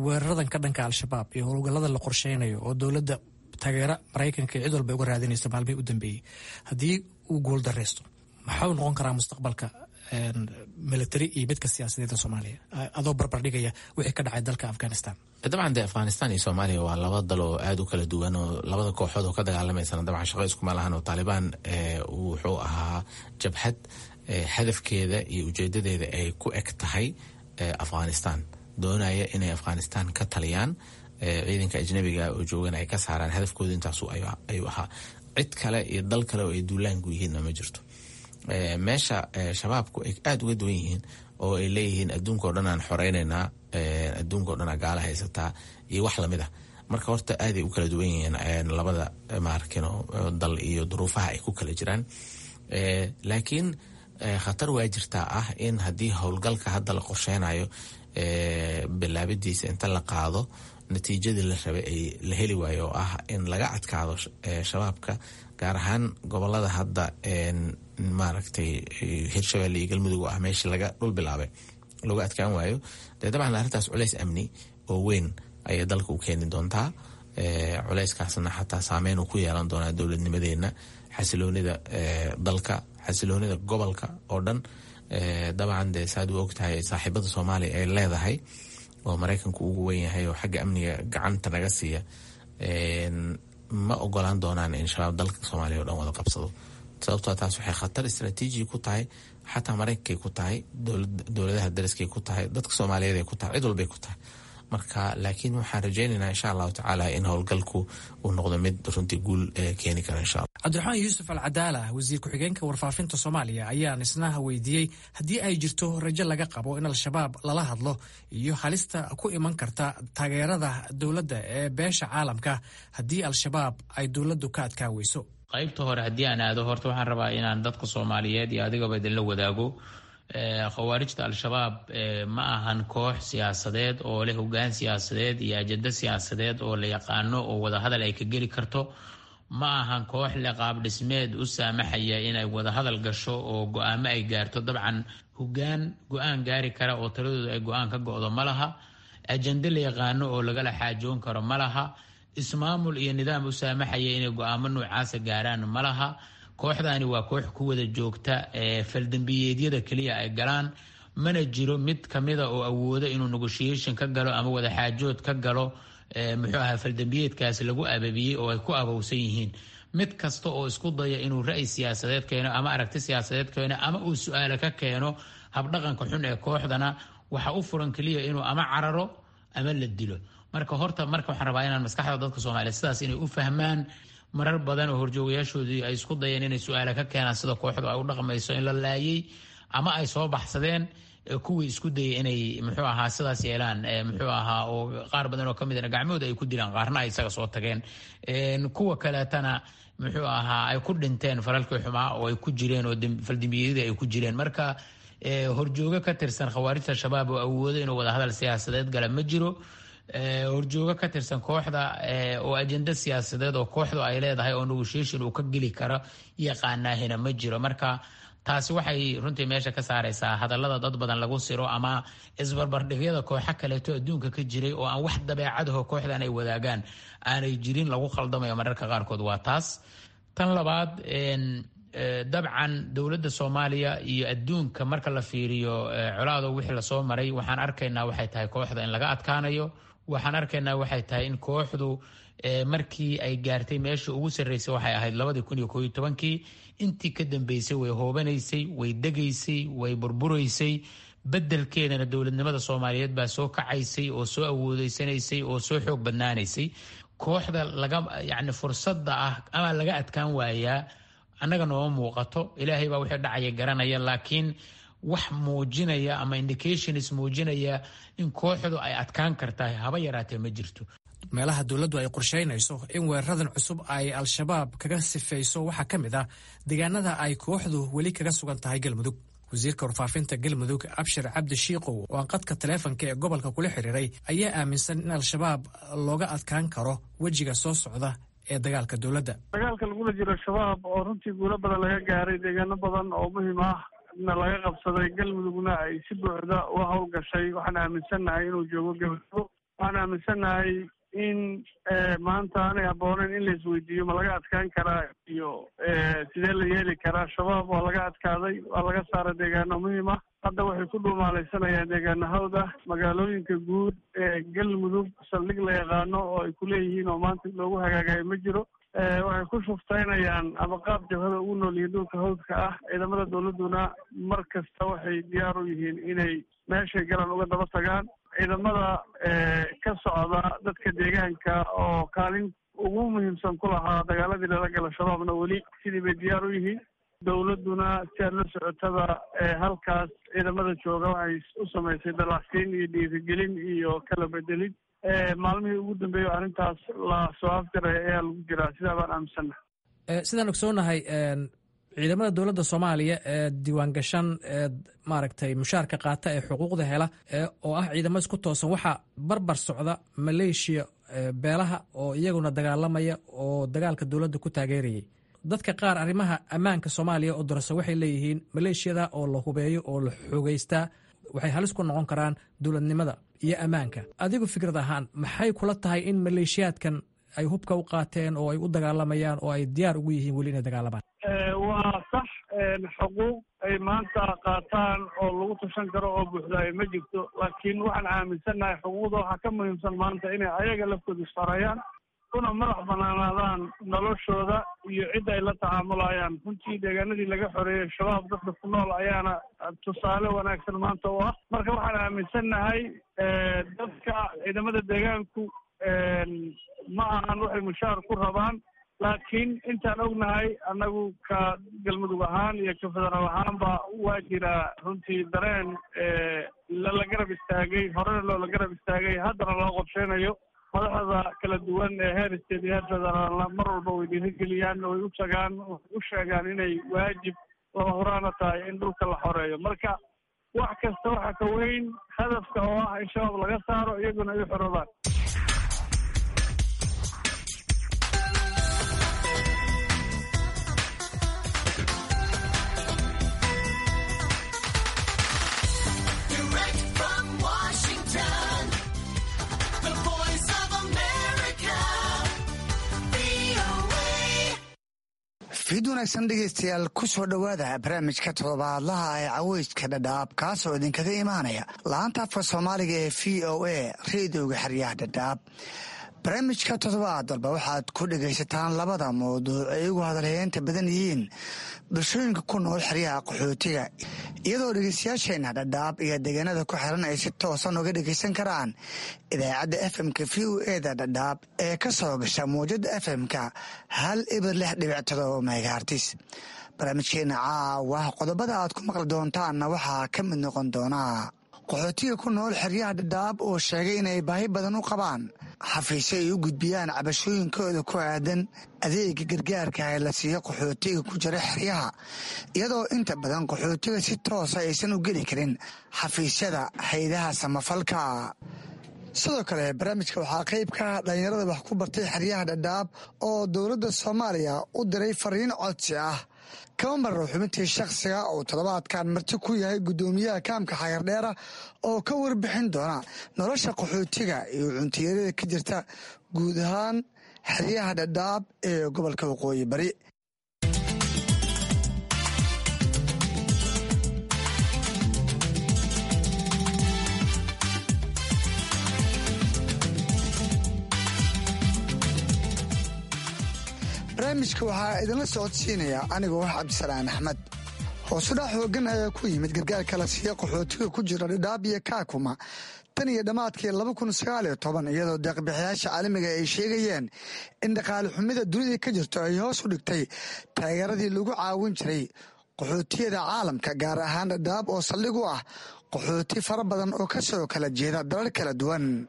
weeraradan ka dhanka Al-Shabaab iyo howlgallada la qorsheynayo oo dowladda taageera Maraykanka iyo cid walba uga raadinaysa maalmihii u dambeeyey, haddii uu guul dareysto, maxau noqon karaa mustaqbalka military iyo midka siyaasadeeda Soomaaliya, adoo barbar dhigaya wixii ka dhacay dalka Afghanistan? Dabcan dee Afghanistan iyo Soomaaliya waa laba dal oo aada u kala duwan, oo labada kooxood oo ka dagaalamaysana dabcan shaqo iskuma lahan, oo Taalibaan wuxuu ahaa jabhad hadafkeeda iyo ujeedadeeda ay ku eg tahay Afghanistan, doonaya inay Afghanistan ka taliyaan, ciidanka ajnabiga oo joogan ay ka saaraan. Hadafkooda intaasu ayuu ahaa. Cid kale iyo dal kale oo ay duulaanku yihiinna ma jirto. Meesha Shabaabku ay aada uga duwan yihiin oo ay leeyihiin adduunka o dhan aan xoreynaynaa, adduunka o dhan aa gaala haysataa iyo wax lamid ah. Marka horta aaday u kala duwan yihiin labada maarkino dal iyo duruufaha ay ku kala jiraan, laakiin khatar waa jirtaa ah in haddii howlgalka hadda la qorsheynayo bilaabidiisa inta la qaado natiijadii la rabay ay la heli waayo, oo ah in laga adkaado Shabaabka, gaar ahaan gobolada hadda maaragtay Hirshabelle iyo Galmudug oo ah meeshii laga dhul bilaabay, looga adkaan waayo, dee dabcan arrintaas culays amni oo weyn ayay dalka u keeni doontaa. Culayskaasna xataa saameyn uu ku yeelan doonaa dowladnimadeenna, xasiloonida dalka, xasiloonida gobolka oo dhan. Dabcan dee saad u ogtahay, saaxiibada Soomaaliya ay leedahay oo Maraykanku ugu wen yahay oo xagga amniga gacanta naga siiya ma ogolaan doonaan in Shabaab dalka Soomaaliya o dhan wada qabsado, sababtoo taas waxay khatar istraatiiji ku tahay xataa Maraykankay ku tahay, dowladaha dariskay ku tahay, dadka Soomaaliyeed ay ku tahay, cid walbay ku tahay. Marka laakiin waxaan rajaynaynaa insha Allahu tacaala in howlgalku uu noqdo mid runtii guul keeni kara insha Allah. Cabdiraxmaan Yuusuf Al Cadaala, wasiir ku-xigeenka warfaafinta Soomaaliya, ayaan isna weydiiyey haddii ay jirto rajo laga qabo in Al-Shabaab lala hadlo iyo halista ku iman karta taageerada dowladda ee beesha caalamka haddii Al-Shabaab ay dowladdu ka adkaa weyso. Qaybta hore haddii aan aado, horta waxaan rabaa inaan dadka Soomaaliyeed iyo adigaba idinla wadaago, khawaarijta Al-Shabaab ma ahan koox siyaasadeed oo leh hogaan siyaasadeed iyo ajando siyaasadeed oo la yaqaano oo wadahadal ay ka geli karto. Ma ahan koox leh qaab dhismeed u saamaxaya inay wadahadal gasho oo go-aamo ay gaarto. Dabcan Hogaan go-aan gaari kara oo taladooda ay go-aan ka go-do ma laha. Ajende la yaqaano oo lagala xaajoon karo ma laha. Ismaamul iyo nidaam u saamaxaya inay go-aamo noocaasa gaaraan ma laha. Kooxdani waa koox ku wada joogta faldambiyeedyada keliya ay galaan. Mana jiro mid kamida oo awoodo inuu negotiation ka galo ama wada xaajood ka galo muxuu ahaa faldambiyeedkaasi lagu ababiyey oo ay ku abowsan yihiin. Mid kasta oo isku daya inuu ra'yi siyaasadeed keeno ama aragti siyaasadeed keeno ama uu su-aalo ka keeno habdhaqanka xun ee kooxdana, waxa u furan keliya inuu ama cararo ama la dilo. Marka horta marka waxaan rabaa inaan maskaxda dadka Soomaaliyeed sidaas inay u fahmaan. Marar badan oo horjoogayaashoodii ay isku dayeen inay su-aalo ka keenaan sida kooxdu ay u dhaqmayso in la laayay ama ay soo baxsadeen kuwii isku dayay inay muxuu ahaa sidaas yeelaan, muxuu ahaa oo qaar badan oo kamidna gacmahooda ay ku dilaan, qaarna ay isaga soo tageen, kuwa kaleetana muxuu ahaa ay ku dhinteen falalkii xumaa oo ay ku jireen oo faldambiyadii ay ku jireen. Marka horjoogo ka tirsan khawaarijta Shabaab oo awoodo inuu wadahadal siyaasadeed gala ma jiro. Horjoogo ka tirsan kooxda oo ajenda siyaasadeed oo kooxdu ay leedahay oo negotiation uu ka geli karo yaqaanaahina ma jiro. Marka taasi waxay runtii meesha ka saaraysaa hadallada dad badan lagu siro ama isbarbardhigyada kooxo kaleeto adduunka ka jiray oo aan wax dabeecadaho kooxdan ay wadaagaan aanay jirin lagu khaldamayo mararka qaarkood. Waa taas. Tan labaad, dabcan dowladda Soomaaliya iyo adduunka marka la fiiriyo colaado wixii lasoo maray, waxaan arkaynaa waxay tahay kooxda in laga adkaanayo. Waxaan arkaynaa waxay tahay in kooxdu markii ay gaartay meesha ugu sarreysay waxay ahayd 2011-kii. Intii ka dambeysay way hoobanaysay, way degaysay, way burburaysay. Bedelkeedana dowladnimada Soomaaliyeed baa soo kacaysay oo soo awoodeysanaysay oo soo xoog badnaanaysay. Kooxda laga yacni fursadda ah ama laga adkaan waayaa annaga nooma muuqato. Ilaahay baa wixii dhacaya garanaya, laakiin wax muujinaya ama indications muujinaya in kooxdu ay adkaan kartahay haba yaraatee ma jirto. Meelaha dowladdu ay qorshaynayso in weeraradan cusub ay Al-Shabaab kaga sifayso waxaa ka mid ah deegaanada ay kooxdu weli kaga sugan tahay Galmudug. Wasiirka warfaafinta Galmudug, Abshir Cabdi Shiikow, oo aan qadka taleefanka ee gobolka kula xiriiray, ayaa aaminsan in Al-Shabaab looga adkaan karo wejiga soo socda ee dagaalka dowladda. Dagaalka lagula jiro Shabaab oo runtii guulo badan laga gaaray, deegaano badan oo muhiim ah na laga qabsaday, Galmudugna ay si buuxda uga howlgashay, waxaan aaminsannahay inuu joogo Galmudug. Waxaan aaminsannahay in maanta aanay habbooneyn in la isweydiiyo ma laga adkaan karaa iyo sidee la yeeli karaa. Shabaab waa laga adkaaday, waa laga saaray deegaano muhiim ah. Hadda waxay ku dhuumaalaysanayaan deegaano hawd ah. Magaalooyinka guud ee Galmudug saldhig la yaqaano oo ay ku leeyihiin oo maanta loogu hagaagayo ma jiro. Waxay ku shuftaynayaan ama qaab jabhada ugu nool yihiin dhulka hawdka ah. Ciidamada dowladduna mar kasta waxay diyaar u yihiin inay meeshay galaan uga daba tagaan. Ciidamada ka socda dadka deegaanka oo kaalin ugu muhiimsan ku lahaa dagaaladii lala gala Shabaabna weli sidii bay diyaar u yihiin. Dowladduna si aad la socotada halkaas ciidamada jooga waxay u samaysay dalacsiin iyo dhiirigelin iyo kala bedelid. Maalmihii ugu dambeeyay arrintaas la soo afjaray ayaa lagu jiraa, sidaa baan aaminsannahay. Sidaan ogsoonahay, ciidamada dowladda Soomaaliya ee diiwaangashan ee maaragtay mushaarka qaata ee xuquuqda hela oo ah ciidamo isku toosan, waxaa barbar socda maleeshiya beelaha oo iyaguna dagaalamaya oo dagaalka dowladda ku taageerayay. Dadka qaar arrimaha ammaanka Soomaaliya oo dorasa waxay leeyihiin maleeshiyada oo la hubeeyo oo la xoogeystaa waxay halis ku noqon karaan dowladnimada iyo ammaanka. Adigu fikrad ahaan maxay kula tahay in maleeshiyaadkan ay hubka u qaateen oo ay u dagaalamayaan oo ay diyaar ugu yihiin weli inay dagaalamaan? Waa sax, xuquuq ay maanta qaataan oo lagu tashan karo oo buuxdaayo ma jirto, laakiin waxaan aaminsannahay xuquuqda waxaa ka muhiimsan maanta inay ayaga laftooda isfarayaan kuna madax banaanaadaan noloshooda iyo cidda ay la tacaamulayaan. Runtii deegaanadii laga xoreeyey Shabaab dadka ku nool ayaana tusaale wanaagsan maanta u ah. Marka waxaan aaminsannahay dadka ciidamada deegaanku ma ahan waxay mushaar ku rabaan, laakiin intaan ognahay annagu ka Galmudug ahaan iyo ka federaal ahaanba waa jiraa runtii dareen lala garab istaagay, horena loola garab istaagay, haddana loo qorsheynayo. Madaxda kala duwan ee heer state iyo heer federaalna mar walba way dhiirigeliyaan, way u tagaan, way u sheegaan inay waajib lama huraana tahay in dhulka la xoreeyo. Marka wax kasta waxaa ka weyn hadafka oo ah in Shabaab laga saaro iyaguna ay u xoroobaan. Fiid wanaagsan dhegaystayaal, ku soo dhowaada barnaamijka toddobaadlaha ee caweyska Dhadhaab, kaasoo idinkaga imaanaya laanta afka Soomaaliga ee VOA, reedioga xeryaha Dhadhaab. Barnaamijka toddobaad walba waxaad ku dhegaysataan labada mawduuc ay ugu hadalheynta badan yihiin bulshooyinka ku nool xeryaha qaxootiga, iyadoo dhegeystayaasheena Dhadhaab iyo deegaanada ku xiran ay si toosan uga dhegeysan karaan idaacadda FM-ka VOA-da Dhadhaab ee ka soo gasha mawjada FM-ka 106.7 megahertz. Barnaamijkeena caawa qodobada aad ku maqli doontaanna waxaa ka mid noqon doonaa qaxootiga ku nool xeryaha Dhadhaab oo sheegay inay baahi badan u qabaan xafiisyo ay u gudbiyaan cabashooyinkooda ku aadan adeega gargaarka ee la siiyo qaxootiga ku jira xeryaha, iyadoo inta badan qaxootiga si toosa aysan u geli karin xafiisyada haydaha samafalka. Sidoo kale barnaamijka waxaa qayb ka ah dhalinyarada wax ku bartay xeryaha Dhadhaab oo dowladda Soomaaliya u diray fariin codsi ah. Kama marro xubintii shakhsiga oo toddobaadkan marti ku yahay guddoomiyaha kaamka Xagardheera oo ka warbixin doona nolosha qaxootiga iyo cuntiyarada ka jirta guud ahaan xeryaha Dhadhaab ee gobolka Waqooyi Bari. Barnaamijka waxaa idinla socodsiinaya anigoo ah Cabdisalaan Axmed. Hoosudhac xoogan ayaa ku yimid gargaarka la siiya qaxootiga ku jira Dhadhaab iyo Kaakuma tan iyo dhammaadkii 2019, iyadoo deeqbixiyaasha caalamiga ay sheegayeen in dhaqaale xumida dunida ka jirto ay hoos u dhigtay taageeradii lagu caawin jiray qaxootiyada caalamka, gaar ahaan Dhadhaab oo saldhig u ah qaxooti fara badan oo kasoo kala jeeda dalal kala duwan.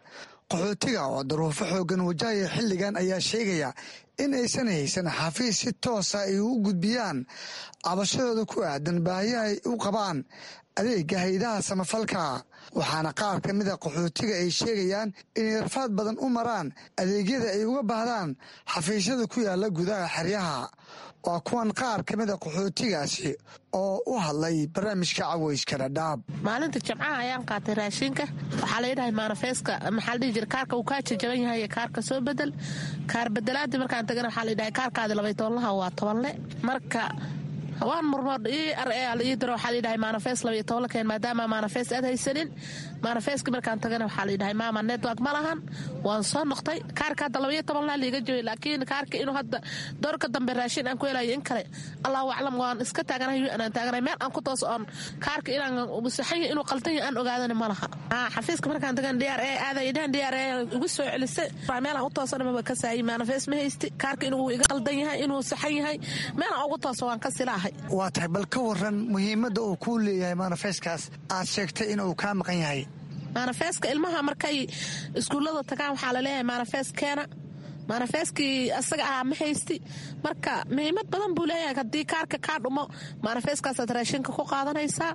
Qaxootiga oo daruufo xoogan wajahaya xilligan ayaa sheegaya in aysan haysan xafiis si toosa ay u gudbiyaan cabashadooda ku aadan baahiyaha ay u qabaan adeega haydaha samafalka, waxaana qaar ka mida qaxootiga ay sheegayaan inay rafaad badan u maraan adeegyada ay uga baahdaan xafiisyada ku yaala gudaha xeryaha. Waa kuwan qaar ka mida qaxootigaasi oo u hadlay barnaamijka caweyska Dhadhaab. Maalinta Jimcaha ayaan qaatay raashinka. Waxaa la yidhahay maanafeeska, maxaa la dhihi jira, kaarka uu kaa jajaban yahay, kaarka soo bedel. Kaar bedelaadii markaan tagana waxaa la yidhahay kaarkaadi labay tobanlaha waa tobanle. Marka waan murmood ii ar ee la ii diro, waxaa la yidhahay maanafees 12 la keen maadaama maanafees aad haysanin. Maanafeeski markaan tagana waxaa la yidhahay maama network ma lahan. Waan soo noqtay, kaarka hadda 12 laa liiga jabay, laakiin kaarka inuu hadda doorka dambe raashin aan ku helayo in kale Allahu aclam. Waan iska taaganahay, aan taaganahay meel aan ku toos oon kaarka inaan saxan yahay inuu qaldan yahay aan ogaadana ma laha. Xafiiska markaan tagana DR A aaday dhahan, DR A igu soo celisay, meel aan u toosana maba ka saayay. Maanafees ma haysti, kaarka inuu iga qaldan yahay inuu saxan yahay meel aan ugu tooso waan ka silaahay. Waa tahay, bal ka waran muhiimadda uu kuu leeyahay maanafeeskaas aad sheegtay inuu kaa maqan yahay? Maanafeeska ilmaha markay iskuullada tagaan waxaa laleeyahay maanafees keena. Maanafeeskii asaga ahaa ma haysti. Marka muhiimad badan buu leeyahay, haddii kaarka kaa dhumo maanafeeskaasaad raashinka ku qaadanaysaa.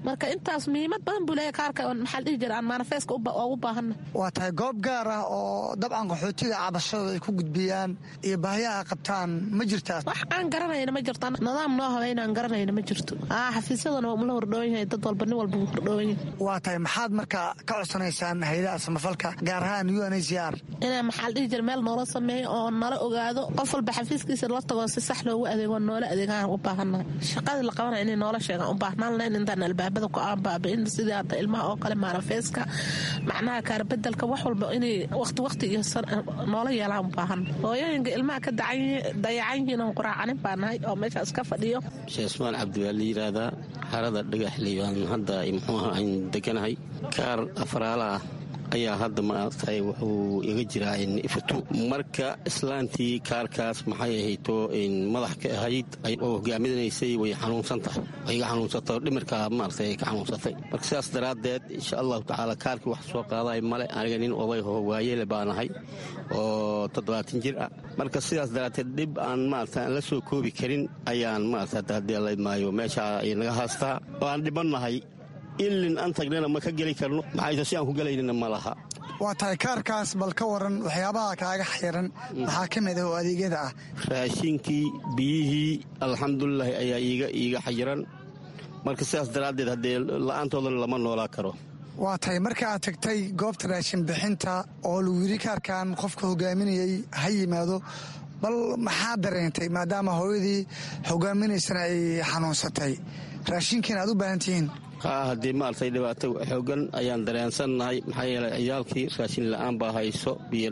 Marka intaas muhiimad badan buu leeyahay kaarka, maxaa la dhihi jira, aan maanafeeska ugu baahana. Waa tahay, goob gaar ah oo dabcan qaxootiga cabashadooda ay ku gudbiyaan iyo baahiyaha ay qabtaan ma jirtaa? Wax aan garanayna ma jirto, nidaam noo habeynaan garanayna ma jirto. Xafiisyadana waa umla hordhowan yahay, dad walba nin walba wuu hordhowan yahay. Waa tahay, maxaad marka ka codsanaysaan hayadaha samafalka, gaar ahaan UNHCR? Inaa maxaa la dhihi jira meel noola sameeyo oo nala ogaado, qof walba xafiiskiisa la tago, si sax loogu adeego, noola adeegaan u baahannahay. Shaqadii la qabanaya inay noola sheegaan u baahnaan lahayn intaan albaabada ku aan baabi'in, sidii hadda ilmaha oo kale maanafeeska, macnaha kaarbedelka, wax walba inay waqti waqti iyo noola yeelaan u baahan. Hooyooyinka ilmaha ka dayacan yihiin oon quraacanin baa nahay oo meeshaas ka fadhiyo. Sheekh Ismaan Cabdi waa la yidhaahdaa, harada Dhagaxley baan hadda muxuu ahaa aan deganahay. Kaar afraala ah ayaa hadda maaragtay wuxuu iga jiraa ifatu. Marka islaantii kaarkaas maxay ahayto madax ka ahayd oo hogaaminaysay way xanuunsan tahay, way iga xanuunsatay oo dhimirka maaragtay ka xanuunsatay. Marka sidaas daraaddeed insha Allahu tacaala kaarkii wax soo qaaday male. Aniga nin oday oo waayele baan ahay oo 70 jir ah. Marka sidaas daraaddeed dhib aan maaragtay aan la soo koobi karin ayaan maaragtay haddii la maayo meesha ay naga haastaa oo aan dhibannahay. Ilin aan tagnana ma ka geli karno, maxayse si aan ku gelaynina ma laha. Waa tahay, kaarkaas bal ka waran waxyaabaha kaaga xayiran maxaa ka mid ah oo adeegyada ah? Raashinkii, biyihii, alxamdulilaahi ayaa iiga xayiran. Marka sidaas daraaddeed haddee la-aantoodana lama noolaa karo. Waa tahay, marka aad tagtay goobta raashin bixinta oo lagu yidhi kaarkan qofka hogaaminayay ha yimaado, Bal maxaa dareentay maadaama hooyadii hogaaminaysana ay xanuunsatay, raashinkiina aad u baahan tihiin? Haa, haddii maaragtay dhibaato xoogan ayaan dareensannahay. Maxaa yeelay ciyaalkii raashin la'aan baa hayso, biyo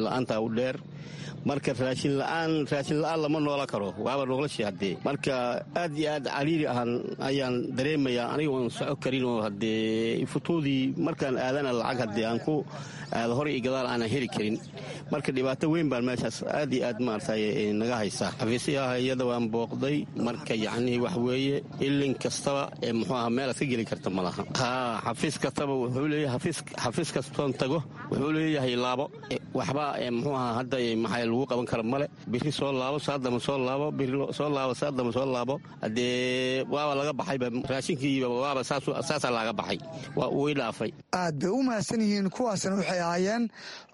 la'aantaa u dheer. Marka raashin la'aan lama noola karo, waaba noloshii haddee. Marka aad iyo aad cariiri ahaan ayaan dareemayaa, aniga oon soco karin oo haddee futuudii markaan aadana lacag haddee aan ku aado hor iyo gadaal aanan heli karin. Marka dhibaato weyn baan meeshaas aad iyo aad maaragtay naga haysaa. Xafiisyaha iyada waan booqday. Marka yacnii wax weeye, ilin kastaba ee muxuu aha meelaad ka geli karta ma laha. Haa, xafiis kastaba wuxuu leeyahay, xafiis kastoon tago wuxuu leeyahay laabo waxba ee muxuu aha hadda maxay lagu qaban kara male. Biri soo laabo, saadama soo laabo, biri soo laabo, saadama soo laabo. Haddee waaba laga baxayba raashinkiiba, waaba saasaa laga baxay, waa uu i dhaafay. Aad bay u mahadsan yihiin kuwaasna. Waxay ahaayeen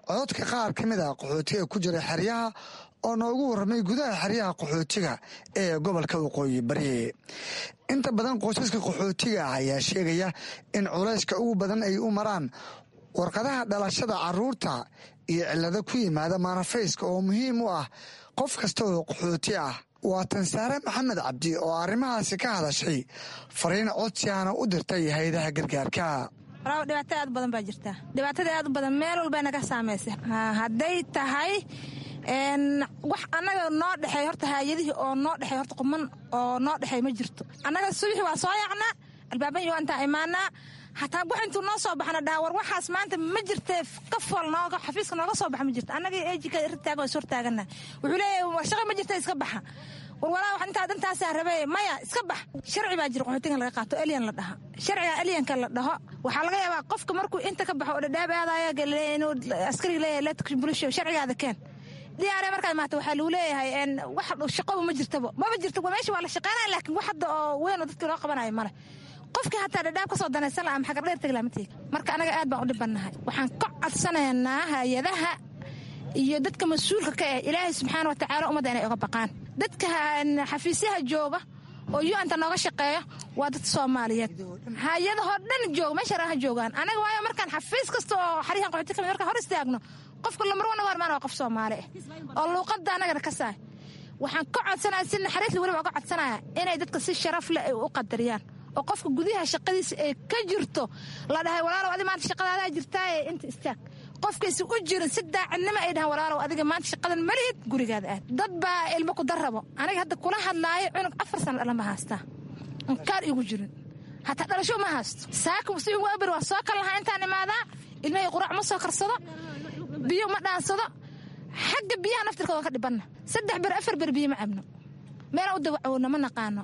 cododka qaar ka mid ah qaxootiga ku jira xeryaha oo noogu warramay gudaha xeryaha qaxootiga ee gobolka Waqooyi Bari. Inta badan qoysaska qaxootiga ah ayaa sheegaya in culayska ugu badan ay u maraan warqadaha dhalashada caruurta iyo cillado ku yimaada maanafayska oo muhiim u ah qof kasta oo qaxooti ah. Waa Tansaare Maxamed Cabdi oo arrimahaasi ka hadashay, fariin codsiana u dirtay hay-adaha gargaarka. Walaal, dhibaato aad u badan baa jirta. Dhibaatada aad u badan meel walba naga saamaysa. Hadday tahay wax annaga noo dhexeey, horta haayadihii oo noo dhexeey, horta quman oo noo dhexeey ma jirto. Annaga subaxii waa soo yaacnaa, albaaban iyo intaa imaanaa, hataa wax intuu noo soo baxna dhaha war waxaas maanta ma jirtee, ka fool nooga xafiiska nooga soo baxa ma jirto. Annaga ejika irtaaga waa is hortaagana. Wuxuu leeyahay shaqa ma jirta, iska baxa. War walaa, wax intaa dantaasaa rabee, maya, iska bax. Sharci baa jira qaxootigan laga qaato, alien la dhaha. Sharciga alienka la dhaho waxaa laga yaabaa qofka markuu inta ka baxo oo Dhadhaab aadaya inuu askariga leeyahay letkbulisho sharcigaada keen diyaare. Markaad maata waxaa lagu leeyahay wax shaqoba ma jirtaba, maba jirto. Meesha waa la shaqeynaya, laakiin wax hadda oo weyn oo dadkii loo qabanayo male. Qofkii hataa Dhadhaab ka soo danaysan laha ama Xagardheer tegi laha ma tegi. Marka anaga aad baan u dhibannahay. Waxaan ka codsanaynaa hay-adaha iyo dadka mas-uulka ka ah, Ilaahay subxaana wa tacaala ummadda inay oga baqaan. Dadka xafiisyaha jooga oo UN-ta nooga shaqeeya waa dad Soomaaliyeed, hay-adahoo dhan jooga meesha raha joogaan anaga. Waayo, markaan xafiis kasta oo xarihan qaxooti kamid markaan hor istaagno, qofka lamar wana warmaan waa qof Soomaali ah oo luuqadda anagana ka saay. Waxaan ka codsanaya si naxariis weliba oga codsanaya inay dadka si sharaf leh ay u qadariyaan oo qofka gudaha shaqadiisa ay ka jirto la dhahay, "Walaalow, adi maanta shaqadaadaa jirtaaye, inta istaag." Qofkaysa u jirin si daacadnimo ay dhahan, "Walaalow, adiga maanta shaqadan malihid, gurigaada aad." Dad baa ilmo ku darrabo. Aniga hadda kula hadlaayo cunug 4 sano dhalan ma haystaa, inkaar igu jirin, hataa dhalasho ma haysto. Saaka si ugu abir waa soo kal lahaa intaan imaadaa, ilmahay quraac ma soo karsado, biyo ma dhaansado. Xagga biyaha naftirkooda ka dhibanna, 3 ber 4 ber biyo ma cabno, meelaan u dawacowna ma naqaano.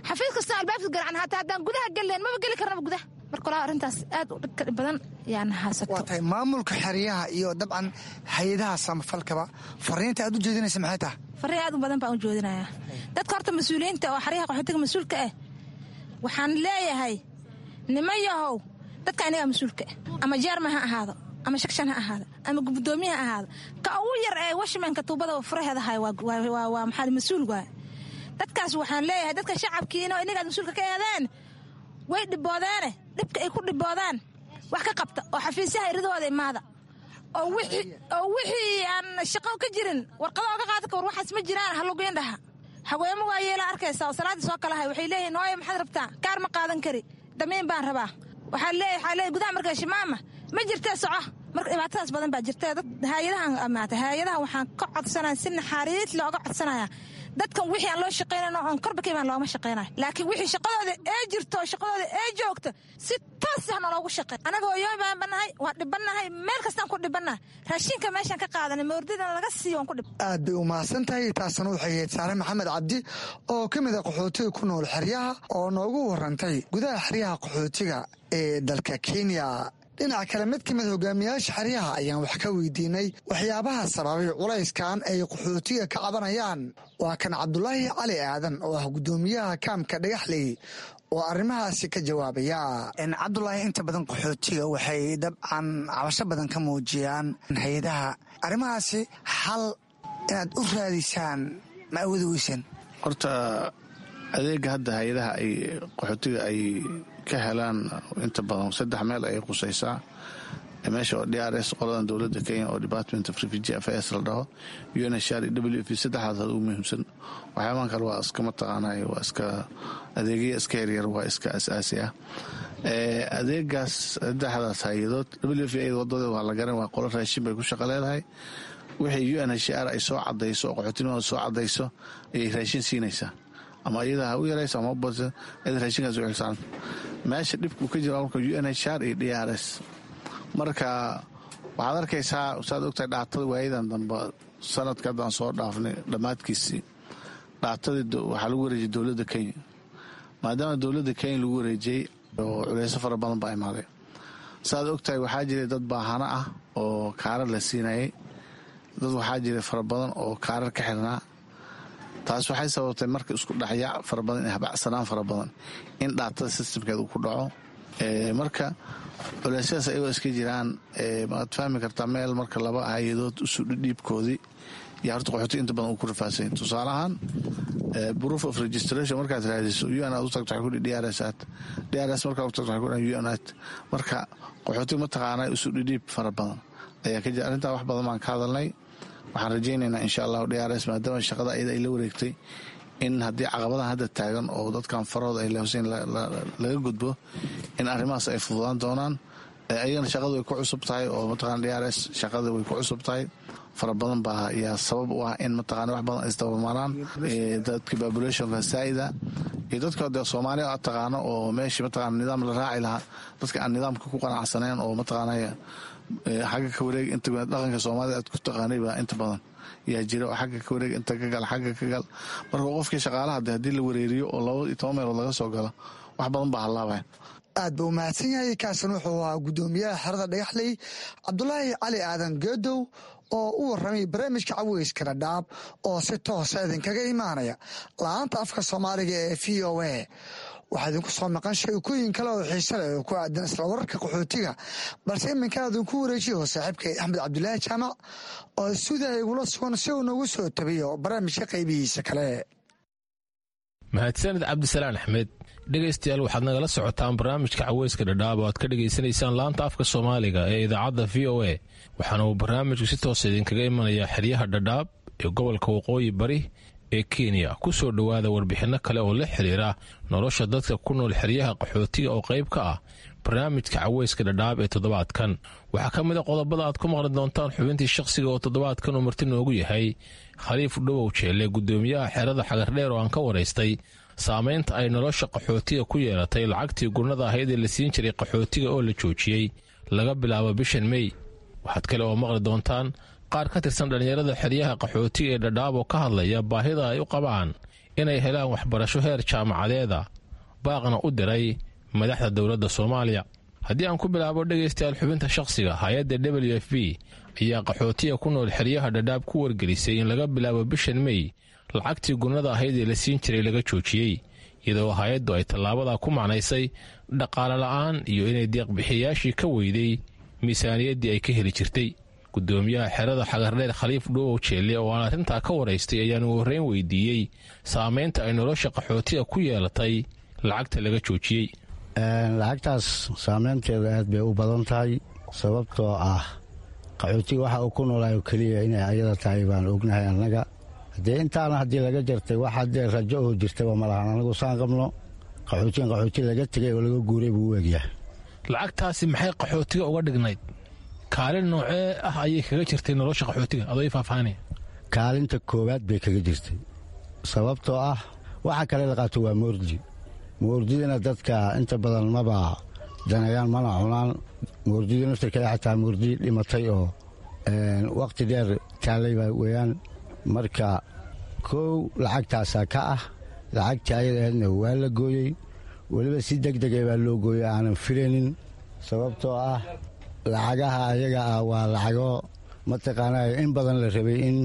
Xafiis kastoo albaabka garacan, hataa haddaan gudaha gelleen maba geli karnaba gudaha. Marka walaa, arrintaas aad u dhibka badan yaan haysato. Waa tahay. Maamulka xeryaha iyo dabcan hay-adaha samafalkaba fariinta aad u jeedinaysa maxay tahay? Farriin aad u badan baan u jeedinayaa dadka horta mas-uuliyiinta oo xeryaha qaxootiga mas-uulka ah. Waxaan leeyahay, niman yahow, dadka inagaa mas-uulka ah, ama chairman ha ahaado ama section ha ahaado ama gudoomiye ha ahaado, ka ugu yar ee watchmanka tuubada furaheeda hay waa maxaa mas-uul waay. Dadkaas waxaan leeyahay, dadka shacabkiina inagaad mas-uulka ka eedeen way dhiboodeene, dhibka ay ku dhiboodaan wax ka qabta oo xafiisyaha iridooda imaada oo wixii aan shaqo ka jirin warqado oga qaada ka war waxaas ma jiraan halugeyn dhaha. Haweemo waa yeela arkaysa oo salaaddii soo kalahay, waxay leeyihin, "Hooye, maxaad rabtaa? Kaar ma qaadan kari, damiin baan rabaa." Waxaa leeyahay gudaha markaa shimaama ma jirtee, soco. Marka dhibaatadaas badan baa jirta. Dad haayadahan amaata, haayadaha waxaan ka codsanaya si naxariis looga codsanaya, dadkan wixii aan loo shaqaynayno oon korba ka imaan looma shaqaynayo, laakiin wixii shaqadooda ee jirto oo shaqadooda ee joogto si toos ah naloogu shaqey. Anaga hooyooyin baan banahay, waan dhibannahay, meel kastaan ku dhibannahay. Raashinka meeshaan ka qaadanay moordidana laga siiyo waan ku dhib. Aad bay u mahadsan tahay. Taasna waxay ahayd Saare Maxamed Cabdi oo ka mid a qaxootiga ku nool xeryaha oo noogu warantay gudaha xeryaha qaxootiga ee dalka Kenya. Dhinaca kale, mid ka mid hogaamiyaasha xeryaha ayaan wax ka weydiinay waxyaabaha sababay culayskan ay qaxootiga ka cabanayaan. Waa kan Cabdulaahi Cali Aadan oo ah guddoomiyaha kaamka Dhagaxley oo arrimahaasi ka jawaabaya. Cabdulaahi, inta badan qaxootiga waxay dabcan cabasho badan ka muujiyaan hay-adaha. Arrimahaasi xal inaad u raadisaan ma awoodi weyseen? Horta adeega hadda hay-adaha ay qaxootiga ay ka helaan inta badan saddex meel ay qusaysaa. Meesha oo DRS, qoladan dowladda Kenya oo Department of Refugee Affairs la dhaho, UNHCR iyo WFP, saddexdaas ugu muhiimsan. Waxyaabahan kale waa iska, mataqaanay, waa iska adeegya iska yaryar, waa iska asaasi ah adeegaas saddexdaas hay-adood. WFP wadada waa la garan, waa qolo raashin bay ku shaqo leedahay. Wixii UNHCR ay soo cadayso oo qaxootinimada soo cadayso ayay raashin siinaysaa, ama iyada ha u yarayso ama ubadsa, iyada raashinkaas u xilsaaran. Meesha dhibku ka jira marka UNHCR iyo DRS. Marka waxaad arkaysaa, saad ogtahay, data-da waayadan dambe, sanadka haddaan soo dhaafnay dhammaadkiisii, data-dii waxaa lagu wareejiyay dowladda Kenya. Maadaama dowladda Kenya lagu wareejiyey, oo culeyso fara badan baa imaaday. Saad ogtahay, waxaa jiray dad baahano ah oo kaarar la siinayay, dad waxaa jiray fara badan oo kaarar ka xirnaa. Taas waxay sababtay marka isku dhexyaac fara badan, habacsanaan fara badan in data-da system-keeda uu ku dhaco. Marka culeysyadaas ayagoo iska jiraan, maad fahmi kartaa meel marka laba hay-adood isu dhiibkoodii iyo horta qaxooti inta badan uu ku rafaasanya. Tusaale ahaan, proof of registration markaad raadiso, UN aad u tagto, waxay ku DRS aad, DRS markaad u tagto, waxay ku UN aad. Marka qaxooti, mataqaanaa, isu dhidhiib fara badan ayaa ka jira. Arrintaa wax badan baan ka hadalnay. Waxaan rajaynaynaa, insha Allahu, DRS maadaama shaqada ayada ay la wareegtay, in haddii caqabadahan hadda taagan oo dadkan farahooda ay leefsayn laga gudbo, in arrimahaas ay fududaan doonaan. Ayagana shaqadu way ku cusub tahay oo, mataqana, DRS shaqada way ku cusub tahay fara badan baa yaa sabab u ah in, mataqana, wax badan isdabamaraan. Dadka population-ka saa'ida iyo dadka dee Soomaaliya aad taqaano oo meeshii, mataqana, nidaam la raaci lahaa, dadka aan nidaamka ku qanacsaneen oo, mataqaanaya, xagga ka wareeg inta dhaqanka Soomaalida aad ku taqaanay baa inta badan yaa jira, oo xagga ka wareeg, inta ka gal, xagga ka gal. Marka qofkii shaqaalaha de haddii la wareeriyo oo 12 meelood laga soo galo, wax badan baa hallaabaya. Aad buu umahadsan yahay. Kaasan wuxuu ahaa guddoomiyaha xerada Dhagaxley, Cabdulaahi Cali Aadan Geedow, oo u warramay barnaamijka Caweyska Dhadhaab oo si toosa idinkaga imaanaya la-aanta afka Soomaaliga ee VOA. Waxaa idinku soo maqan sheekooyin kale oo xiise leh oo ku aadan isla wararka qaxootiga, balse iminkan idinku wareejiyo saaxiibkay Axmed Cabdulaahi Jaamac oo suudaha igula sugan si uu noogu soo tabiyo barnaamijka qaybihiisa kale. Mahadsanid, Cabdisalaan Axmed. Dhegaystayaal, waxaad nagala socotaan barnaamijka Caweyska Dhadhaab oo aad ka dhegaysanaysaan laanta afka Soomaaliga ee idaacadda VOA. Waxaana uu barnaamijku si toosa idinkaga imanayaa xeryaha Dhadhaab ee gobolka Waqooyi Bari ee Kenya. Ku soo dhowaada warbixinno kale oo la xiriira nolosha dadka ku nool xeryaha qaxootiga oo qayb ka ah barnaamijka Caweyska Dhadhaab ee toddobaadkan. Waxaa ka mid a qodobada aad ku maqli doontaan xubintii shakhsiga oo toddobaadkan uu marti noogu yahay Khaliif Dhowow Jeelle, guddoomiyaha xerada Xagardheer, oo aan ka waraystay saamaynta ay nolosha qaxootiga ku yeelatay lacagtii gurnada ahayd ee la siin jiray qaxootiga oo la joojiyey laga bilaabo bishan Mey. Waxaad kale oo maqli doontaan qaar ka tirsan dhallinyarada xeryaha qaxootiga ee Dhadhaab oo ka hadlaya baahida ay u qabaan inay helaan waxbarasho heer jaamacadeeda, baaqna u diray madaxda dowladda Soomaaliya. Haddii aan ku bilaabo, dhegaystayaal, xubinta shakhsiga, hay-adda WFP ayaa qaxootiga ku nool xeryaha Dhadhaab ku wargelisay in laga bilaabo bishan Mey lacagtii gunnada ahayd ee la siin jiray laga joojiyey, iyadoo hay-addu ay tallaabadaa ku macnaysay dhaqaale la'aan iyo inay deeqbixiyayaashii ka weyday miisaaniyaddii ay ka heli jirtay. Gudoomiyaha xerada Xagardheer, Khaliif Dhuubow Jeelle, oo aan arrintaa ka waraystay, ayaan ugu horreyn weydiiyey saamaynta ay nolosha qaxootiga ku yeelatay lacagta laga joojiyey. Lacagtaas saameynteeda aad bay u badan tahay, sababtoo ah qaxootiga waxa uu ku noolaayo keliya inay ayada tahay baan ognahay annaga. Haddee intaana haddii laga jartay, wax haddee rajo oo jirtaba ma lahan. Anagu saan qabno, qaxootigan qaxooti laga tegay oo laga guuray buu u egyahay. Lacagtaasi maxay qaxootiga uga dhignayd? Kaalin noocee ah ayay kaga jirtay nolosha qaxootiga, adoo ii faahfaahinaya? Kaalinta koowaad bay kaga jirtay, sababtoo ah waxa kale la qaato waa moordi. Moordidana dadka inta badan maba danayaan, mana cunaan moordida naftirkeeda, xataa moordi dhimatay oo wakhti dheer taallay baa weeyaan. Marka kow lacagtaasaa ka ah. Lacagtii ayada ahaydna waa la gooyey, weliba si deg dega baa loo gooyey aanan filaynin, sababtoo ah lacagaha ayaga ah waa lacago, mataqaanaa, in badan la rabay in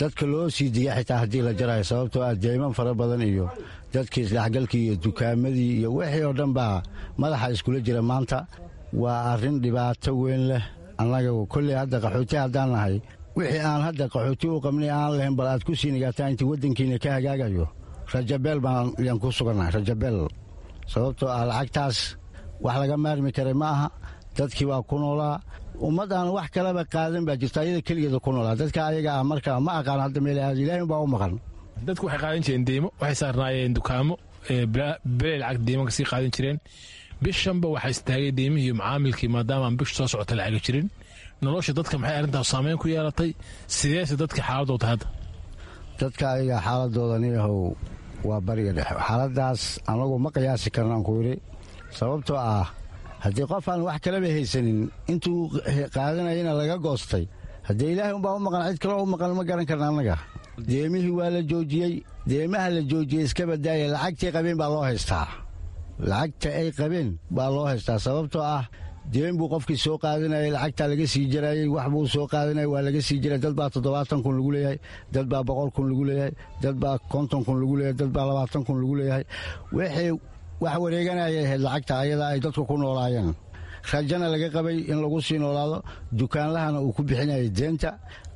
dadka loo sii diga xitaa haddii la jarayo, sababtoo ah deyman fara badan iyo dadkii isdhexgalkii iyo dukaamadii iyo wixii oo dhan baa madaxa iskula jira maanta. Waa arrin dhibaato weyn leh. Annaga kolley hadda qaxooti haddaan nahay, wixii aan hadda qaxooti u qabnay aan lahayn, bal aad ku sii nigaataan intii waddankiina ka hagaagayo. Rajabeel baan yaan ku sugannahay, rajabeel, sababtoo ah lacagtaas wax laga maarmi karay ma aha. Dadkii baa ku noolaa. Ummad aan wax kalaba qaadan baa jirta, ayada keligeeda ku noolaa. Dadka ayaga ah marka ma aqaan hadda meel aad, Ilaahay baa u maqan. Dadku waxay qaadan jireen deymo, waxay saarnaayeen dukaamo beley lacag deymo kasii qaadan jireen. Bishanba waxaa istaagay deymihii macaamilkii, maadaama aan bishu soo socota lacaga jirin. Nolosha dadka maxay arrintaas saameyn ku yeelatay? Sideese dadka xaaladooda hadda? Dadka ayaga xaaladooda, niyahow, waa bariga dhexe. Xaaladaas anagu ma qiyaasi karnaan ku yidhi, sababtoo ah haddii qof aan wax kalaba haysanin intuu qaadanayana laga goostay, haddee Ilaahay umbaa u maqan, cid kaloo u maqan ma garan karna annaga. Deemihii waa la joojiyey. Deemaha la joojiyey iska badaaya, lacagtii qabeen baa loo haystaa. Lacagta ay qabeen baa loo haystaa, sababtoo ah deen buu qofkii soo qaadanayay, lacagtaa laga sii jarayey. Wax buu soo qaadanayay, waa laga sii jiray. Dad baa 70,000 lagu leeyahay, dad baa 100,000 lagu leeyahay, dad baa 50,000 lagu leeyahay, dad baa 20,000 lagu leeyahay. Wixii wax wareeganayay ahayd lacagta ayadaa ay dadku ku noolaayeen, rajana laga qabay in lagu sii noolaado. Dukaanlahana uu ku bixinayay deenta,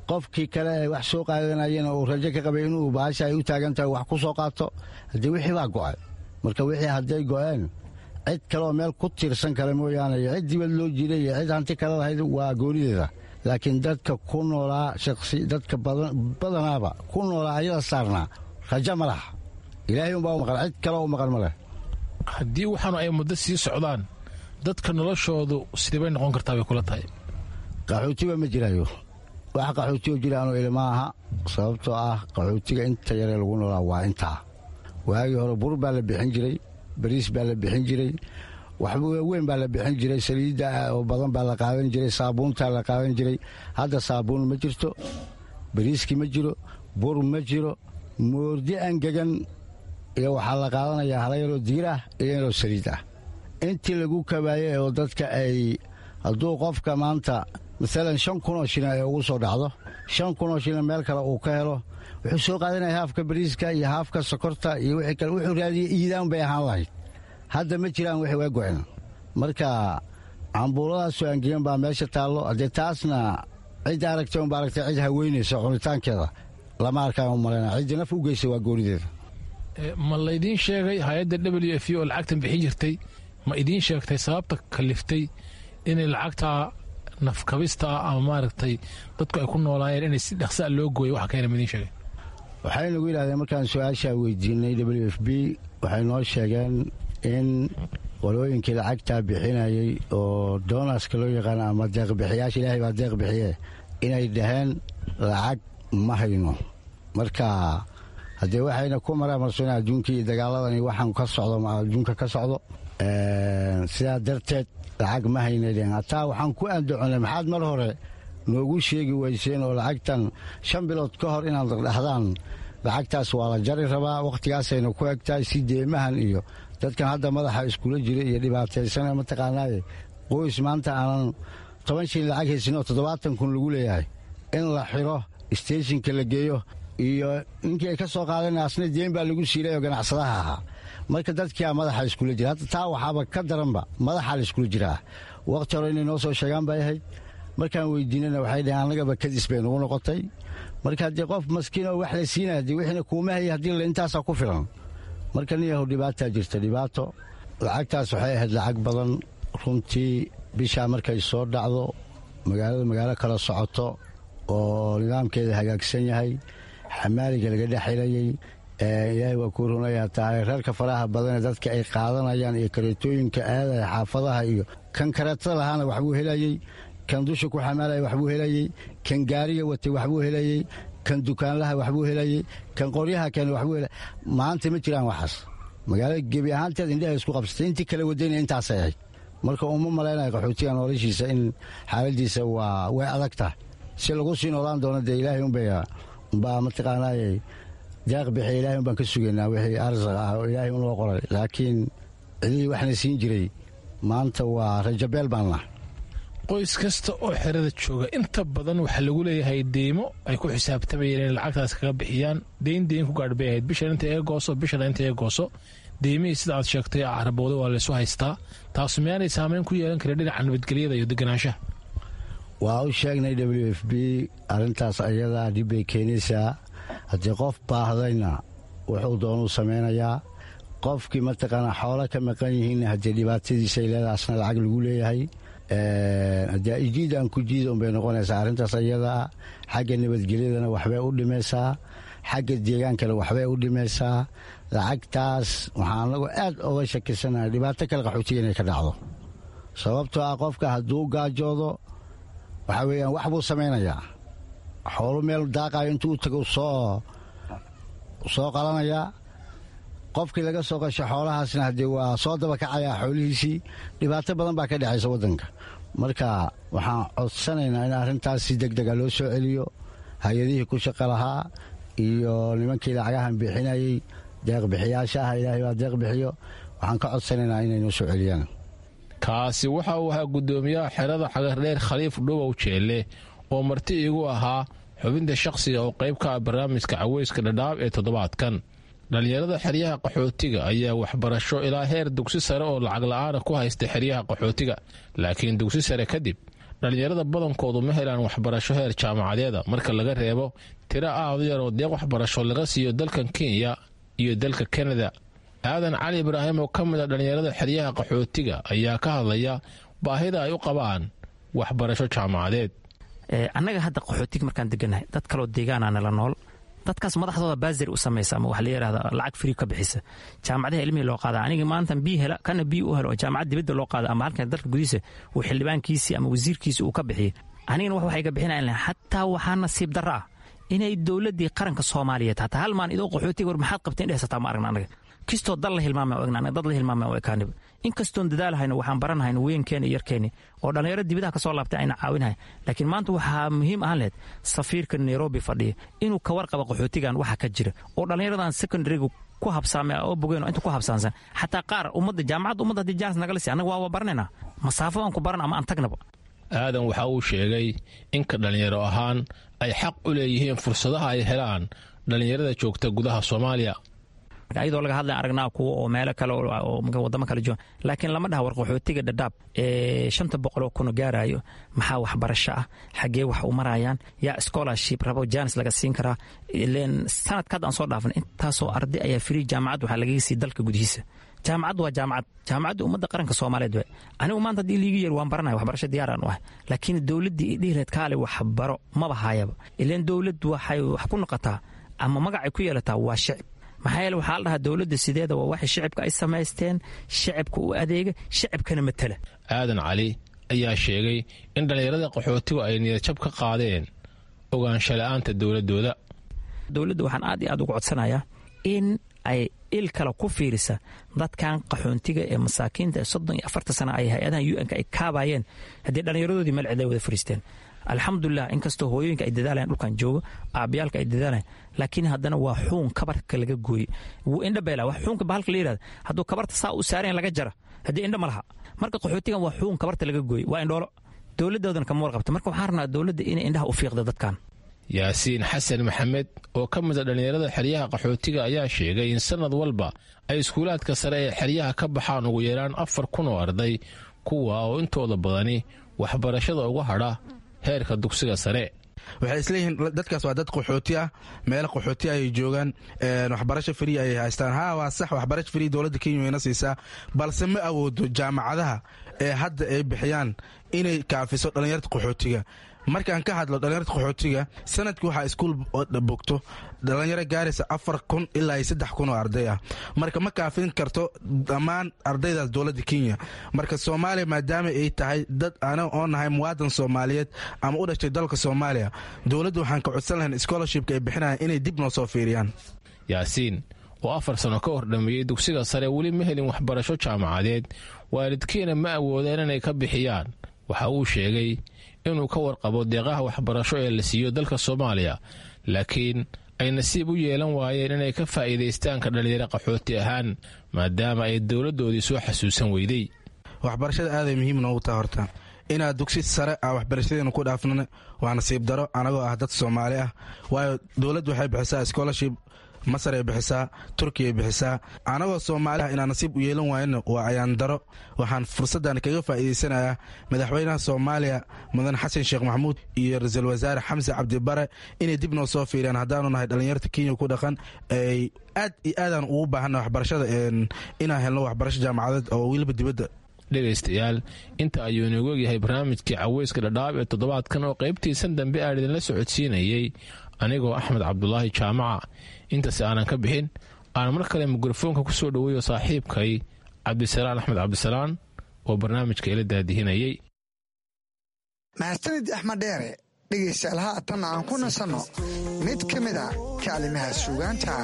qofkii kale ee wax soo qaadanayena uu rajo ka qabay inuu baasha ay u taagan tahay wax ku soo qaato. Haddii wixii baa go'ay, marka wixii hadday go'een, cid kaleoo meel ku tiirsan kale mooyaane, iyo cid dibad loo jiray iyo cid hanti kale lahayd waa goonideeda. Laakiin dadka ku noolaa shaksi, dadka badanaaba ku noolaa ayada saarnaa, rajo ma laha. Ilaahay umbaa u maqan, cid kaleo u maqan ma leh. Haddii waxaanu ay muddo sii socdaan, dadka noloshoodu sidee bay noqon kartaa bay kula tahay? Qaxootiba ma jiraayo. Wax qaxootigo jiraanu ilma aha, sababtoo ah qaxootiga inta yaree lagu noolaa waa intaa. Waagii hore bur baa la bixin jiray, bariis baa la bixin jiray, waxba weyn baa la bixin jiray, saliidda oo badan baa la qaadan jiray, saabuuntaa la qaadan jiray. Hadda saabuun ma jirto, bariiskii ma jiro, bur ma jiro, moordi angegan iyo waxaa la qaadanayaa hala yaroo diir ah iyo yaroo saliid ah. Intii lagu kabaayey oo dadka ay hadduu qofka maanta maalan 5,000 oo shilin ay ugu soo dhacdo, 5,000 oo shilin meel kale uu ka helo, wuxuu soo qaadanaya haafka bariiska iyo haafka sokorta iyo wixii kale wuxuu raadiyey. Iidaan bay ahaan lahayd. Hadda ma jiraan, wixii waa go'en. Marka cambuuladaasoo angegan baa meesha taallo. Haddee taasna cid aragtay unba aragtay, cid haweynaysa cunitaankeeda lama arkaan u malayna. Ciddii naf u geysa waa goonideeda. Ma laydiin sheegay hay-adda WFP oo lacagtan bixin jirtay, ma idiin sheegtay sababta kaliftay inay lacagtaa nafkabista ah ama maaragtay dadku ay ku noolaayeen inay si dhaqsaa loo gooyo? Waxa keena ma idiin sheegay? Waxay nagu yidhahdeen markaan su-aashaa weydiinay WFP, waxay noo sheegeen in qolooyinkii lacagtaa bixinayay oo donaska loo yaqaano ama deeqbixiyaasha, Ilaahay baa deeq bixiye, inay dhaheen lacag ma hayno. Marka haddee waxayna ku maraamarsoon adduunkii iyo dagaaladani waxaan ka socdo adduunka ka socdo, sidaa darteed lacag ma haynay dheheen. Hataa waxaan ku andaconay, maxaad mar hore noogu sheegi weyseen oo lacagtan 5 bilood ka hor inaad dhahdaan lacagtaas waa la jari rabaa, wakhtigaasayna ku egtahay, si deemahan iyo dadkan hadda madaxa iskula jira iyo dhibaataysana mataqaanaaye, qoys maanta aanan 10 shilin lacag haysin oo 70,000 lagu leeyahay in la xiro, stationka la geeyo, iyo ninkii ay ka soo qaadeen asna deen baa lagu siilay oo ganacsadaha ahaa. Marka dadkia madaxa iskula jira hadda, taa waxaaba ka daranba madaxaa la iskula jiraa. Wakhti hore inay noo soo sheegaan bay ahayd. Markaan weydiinana waxay dhaheen annagaba kadis bay nagu noqotay. Marka haddii qof maskiin oo wax la siinaya, haddii wixiina kuuma hayay, haddii la intaasaa ku filan. Marka niyahow, dhibaataa jirta, dhibaato. Lacagtaas waxay ahayd lacag badan runtii. Bishaa markay soo dhacdo, magaalada magaalo kala socoto oo nidaamkeeda hagaagsan yahay, xamaaliga laga dhex helayey, Ilaahay waa kuu runayaa tahay, reerka faraha badanee dadka ay qaadanayaan iyo kareetooyinka aadaya xaafadaha, iyo kan kareetada lahaana waxbuu helayey, kan dusha ku xamaalaya waxbuu helayey, kan gaariga watay waxbuu helayey, kan dukaanlaha waxbuu helayey, kan qoryaha keena waxbuu helay. Maanta ma jiraan waxaas. Magaalada gebi ahaanteed indhaha isku qabsatay, intii kala wadayna intaasay ahayd. Marka uma malaynayo qaxootiga noloshiisa in xaaladiisa waa way adag tahay. Si lagu sii noolaan doono dee Ilaahay unbaa mataqaanaaye deeq bixiya. Ilahay unbaan ka sugaynaa wixii arsaq ah oo Ilaahay unoo qoray, laakiin cidihii waxna siin jiray maanta waa rajabeel baan nahay. Qoys kasta oo xerada jooga inta badan waxaa lagu leeyahay deymo ay ku xisaabtamayeen inay lacagtaas kaga bixiyaan. Deyn deyn ku gaadh bay ahayd, bishan inta iga gooso, bishana inta iga gooso. Deymihii sida aad sheegtay carabooda waa laysu haystaa. Taasu miyaanay saameyn ku yeelan karin dhinaca nabadgelyada iyo deganaanshaha? Waa u sheegnay WFP arrintaas ayadaa dhib bay keenaysaa. Haddii qof baahdayna wuxuu doonuu samaynayaa. Qofkii mataqaanaa xoolo ka maqan yihiinna haddii dhibaatadiisay leedahay, asna lacag lagu leeyahay. Haddii ijiid aan ku jiida unbay noqonaysaa arrintaas ayadaa. Xagga nabadgelyadana waxbay u dhimaysaa, xagga deegaankana waxbay u dhimaysaa. Lacagtaas waxaan anagu aad oga shakisanahay dhibaato kale qaxootiga inay ka dhacdo, sababtoo ah qofka hadduu gaajoodo waxaa weeyaan wax buu samaynayaa. Xoolu meel daaqayo intuu u tago soo qalanayaa. Qofkii laga soo qasho xoolahaasna haddee waa soo dabakacayaa xoolihiisii. Dhibaato badan baa ka dhexaysa waddanka. Marka waxaan codsanaynaa in arrintaas si deg dega loo soo celiyo hay-adihii ku shaqo lahaa iyo nimankii lacagahan bixinayey, deeqbixiyaasha ah. Ilaahay baa deeq bixiyo. Waxaan ka codsanaynaa inay noo soo celiyaan. Kaasi waxa uu ahaa guddoomiyaha xerada Xagardheer, Khaliif Dhubow Jeelle, oo marti iigu ahaa xubinta shakhsiga oo qayb ka ah barnaamijka Caweyska Dhadhaab ee toddobaadkan. Dhallinyarada xeryaha qaxootiga ayaa waxbarasho ilaa heer dugsi sare oo lacag la-aana ku haysta xeryaha qaxootiga, laakiin dugsi sare kadib dhallinyarada badankoodu ma helaan waxbarasho heer jaamacadeeda, marka laga reebo tiro aad u yar oo deeq waxbarasho laga siiyo dalkan Kenya iyo dalka Kanada. Aadan Cali Ibraahim oo ka mid a dhallinyarada xeryaha qaxootiga ayaa ka hadlaya baahida ay u qabaan waxbarasho jaamacadeed. Annaga hadda qaxootiga markaan degannahay, dad kaloo deegaana nala nool, dadkaas madaxdooda baasir u samaysa ama waxa la yidhahda lacag free ka bixisa jaamacadaha ilmihii loo qaada. Aniga maanta bii hela kana bii u helo oo jaamacad dibadda loo qaada ama halkan dalka gudihiisa uu xildhibaankiisii ama wasiirkiisii uu ka bixiyay, anigana wax waxay ka bixinayan. Xataa waxaa nasiib darro ah inay dowladdii qaranka Soomaaliyeed hataa hal maan idoo qaxootiga war maxaad qabteen dhehsataa ma aragna. Anaga kistoo dal la hilmaamay o egna, dad la hilmaamay oo ekaaniba. Inkastoon dadaalhayno, waxaan baranhayno weynkeena iyo yarkeeni oo dhallinyaro dibadaha ka soo laabtay ayna caawinhay, laakiin maanta waxaa muhiim ahaan lahayd safiirka Nairobi fadhiya inuu ka warqabo qaxootigan waxa ka jira oo dhallinyaradan secondaryga ku habsaamay oo bogeen oo inta ku habsaansan. Xataa qaar ummadda jaamacadda ummadda haddii jaanis nagala sii, annaga waa baranaynaa, masaafo aan ku baran ama aan tagnaba. Aadan waxa uu sheegay inka dhallinyaro ahaan ay xaq u leeyihiin fursadaha ay helaan dhallinyarada joogta gudaha Soomaaliya. Ayadoo laga hadlay aragnaa kuwa oo meelo kale oo wadamo kale jooga, laakiin lama dhaha war qaxootiga Dhadhaab ee 500,000 gaarayo maxaa waxbarasho ah, xaggee wax u marayaan, yaa scholarship rabo, jaanis laga siin karaa. Ileen sanadka hadda aan soo dhaafnay intaasoo arday ayaa free jaamacad waxaa lagaga siiyey dalka gudihiisa. Jaamacad waa jaamacad, jaamacadda ummadda qaranka Soomaaliyeed waay. Anigu maanta haddii liiga yeer waan baranaya, waxbarasho diyaaraan u ahay, laakiin dowladdii i dhihi lahayd kaale waxbaro maba haayaba. Ileen dowladdu waxay wax ku noqotaa ama magacay ku yeelataa waa shicib. Maxaa yeele waxaa la dhahaa dowladda sideeda waa waxay shicibka ay samaysteen, shicibka u adeega, shicibkana matala. Aadan Cali ayaa sheegay in dhallinyarada qaxootigu ay niyadjab ka qaadeen ogaansho la-aanta dowladooda. Dowladda waxaan aad iyo aad uga codsanayaa in ay il kale ku fiirisa dadkan qaxoontiga ee masaakiinta ee 34-ta sana ay hay-adahan UN-ka ay kaabayeen, haddii dhallinyaradoodii meel cid ay wada fariisteen. Alxamdulilah, inkastoo hooyooyinka ay dadaalayan, dhulkan joogo aabayaalka ay dadaalayan, laakiin haddana waa xuun kabarka laga gooyey, wuu indha beela. Wax xuunka bahalka la yidhahda hadduu kabarta saa u saarayan laga jara, haddii indha ma laha. Marka qaxootigan waa xuun kabarta laga gooyey, waa indhoolo, dowladdoodana kama warqabta. Marka waxaan rabnaa dowladda inay indhaha u fiiqda dadkan. Yaasiin Xasan Maxamed oo ka mid a dhallinyarada xeryaha qaxootiga ayaa sheegay in sanad walba ay iskuulaadka sare ee xeryaha ka baxaan ugu yaraan 4000 oo arday, kuwa oo intooda badani waxbarashada uga hadha heerka dugsiga sare. Waxay isleeyihiin dadkaas waa dad qaxooti ah, meelo qaxooti ayay joogaan, waxbarasho free ayay haystaan. Haa, waa sax, waxbarasho free dowladda Kenya wayna siisaa, balse ma awoodo jaamacadaha ee hadda ay bixiyaan inay kaafiso dhallinyarta qaxootiga. Markaan ka hadlo dhallinyarta qaxootiga, sanadkii waxaa iskuul bogto dhallinyaro gaaraysa 4000 ilaa iyo 3000 oo arday ah. Marka ma kaafin karto dhammaan ardaydaas dowladda Kenya. Marka Soomaaliya maadaama ay tahay dad ana oo nahay muwaadan Soomaaliyeed ama u dhashay dalka Soomaaliya, dowladda waxaan ka codsan lahayn scholarshipka ay bixinayaan inay dib noo soo fiiriyaan. Yaasiin oo 4 sano ka hor dhammeeyey dugsiga sare weli ma helin waxbarasho jaamacadeed, waalidkiina ma awoodeen inay ka bixiyaan. Waxa uu sheegay inuu ka warqabo deeqaha waxbarasho ee la siiyo dalka Soomaaliya, laakiin ay nasiib u yeelan waayeen inay ka faa'iidaystaan ka dhallinyaro qaxooti ahaan, maadaama ay dowladdoodii soo xasuusan weyday. Waxbarashada aaday muhiim noogu taha. Horta inaad dugsi sare ah waxbarashadeena ku dhaafnana waa nasiib daro anagoo ah dad Soomaali ah, waayo dowladdu waxay bixisaa scholarship, Masar ay bixisaa, Turkiya ay bixisaa. Anagoo Soomaali ah inaan nasiib u yeelan waayana waa ayaan daro. Waxaan fursaddan kaga faa'iidaysanayaa madaxweynaha Soomaaliya mudan Xasan Sheekh Maxamuud iyo ra-iisul wasaare Xamse Cabdibare inay dib noo soo fiiriyaan haddaanu nahay dhallinyarta Kenya ku dhaqan. Ay aad iyo aadaan ugu baahanna waxbarashada, inaan helno waxbarasho jaamacadeed oo weliba dibadda. Dhegaystayaal, inta ayuu inoogu ogyahay barnaamijkii caweyska Dhadhaab ee toddobaadkan oo qaybtiisan dambe aan idinla socodsiinayey anigoo Axmed Cabdulaahi Jaamaca. Intaas aanan ka bixin, aan mar kale mikrofoonka ku soo dhoweeyo saaxiibkay Cabdisalaan Axmed Cabdisalaan oo barnaamijka ila daadihinayey. Mahadsanid Axmed Dheere. Dhegaystayaal, haatan aan ku nasanno mid ka mid a kaalimaha suugaanta.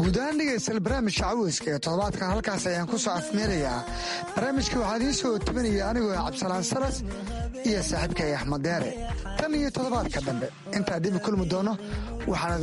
Guud ahaan dhegaystayaal, barnaamijka caweyska ee toddobaadkan halkaas ayaan ku soo afmeerayaa. Barnaamijka waxaa idiin soo tebinaya anigoo Cabdisalaan Salas iyo saaxiibkay Axmed Deere. Tan iyo toddobaadka dambe intaa dib u kulmi doono, waxaan idinku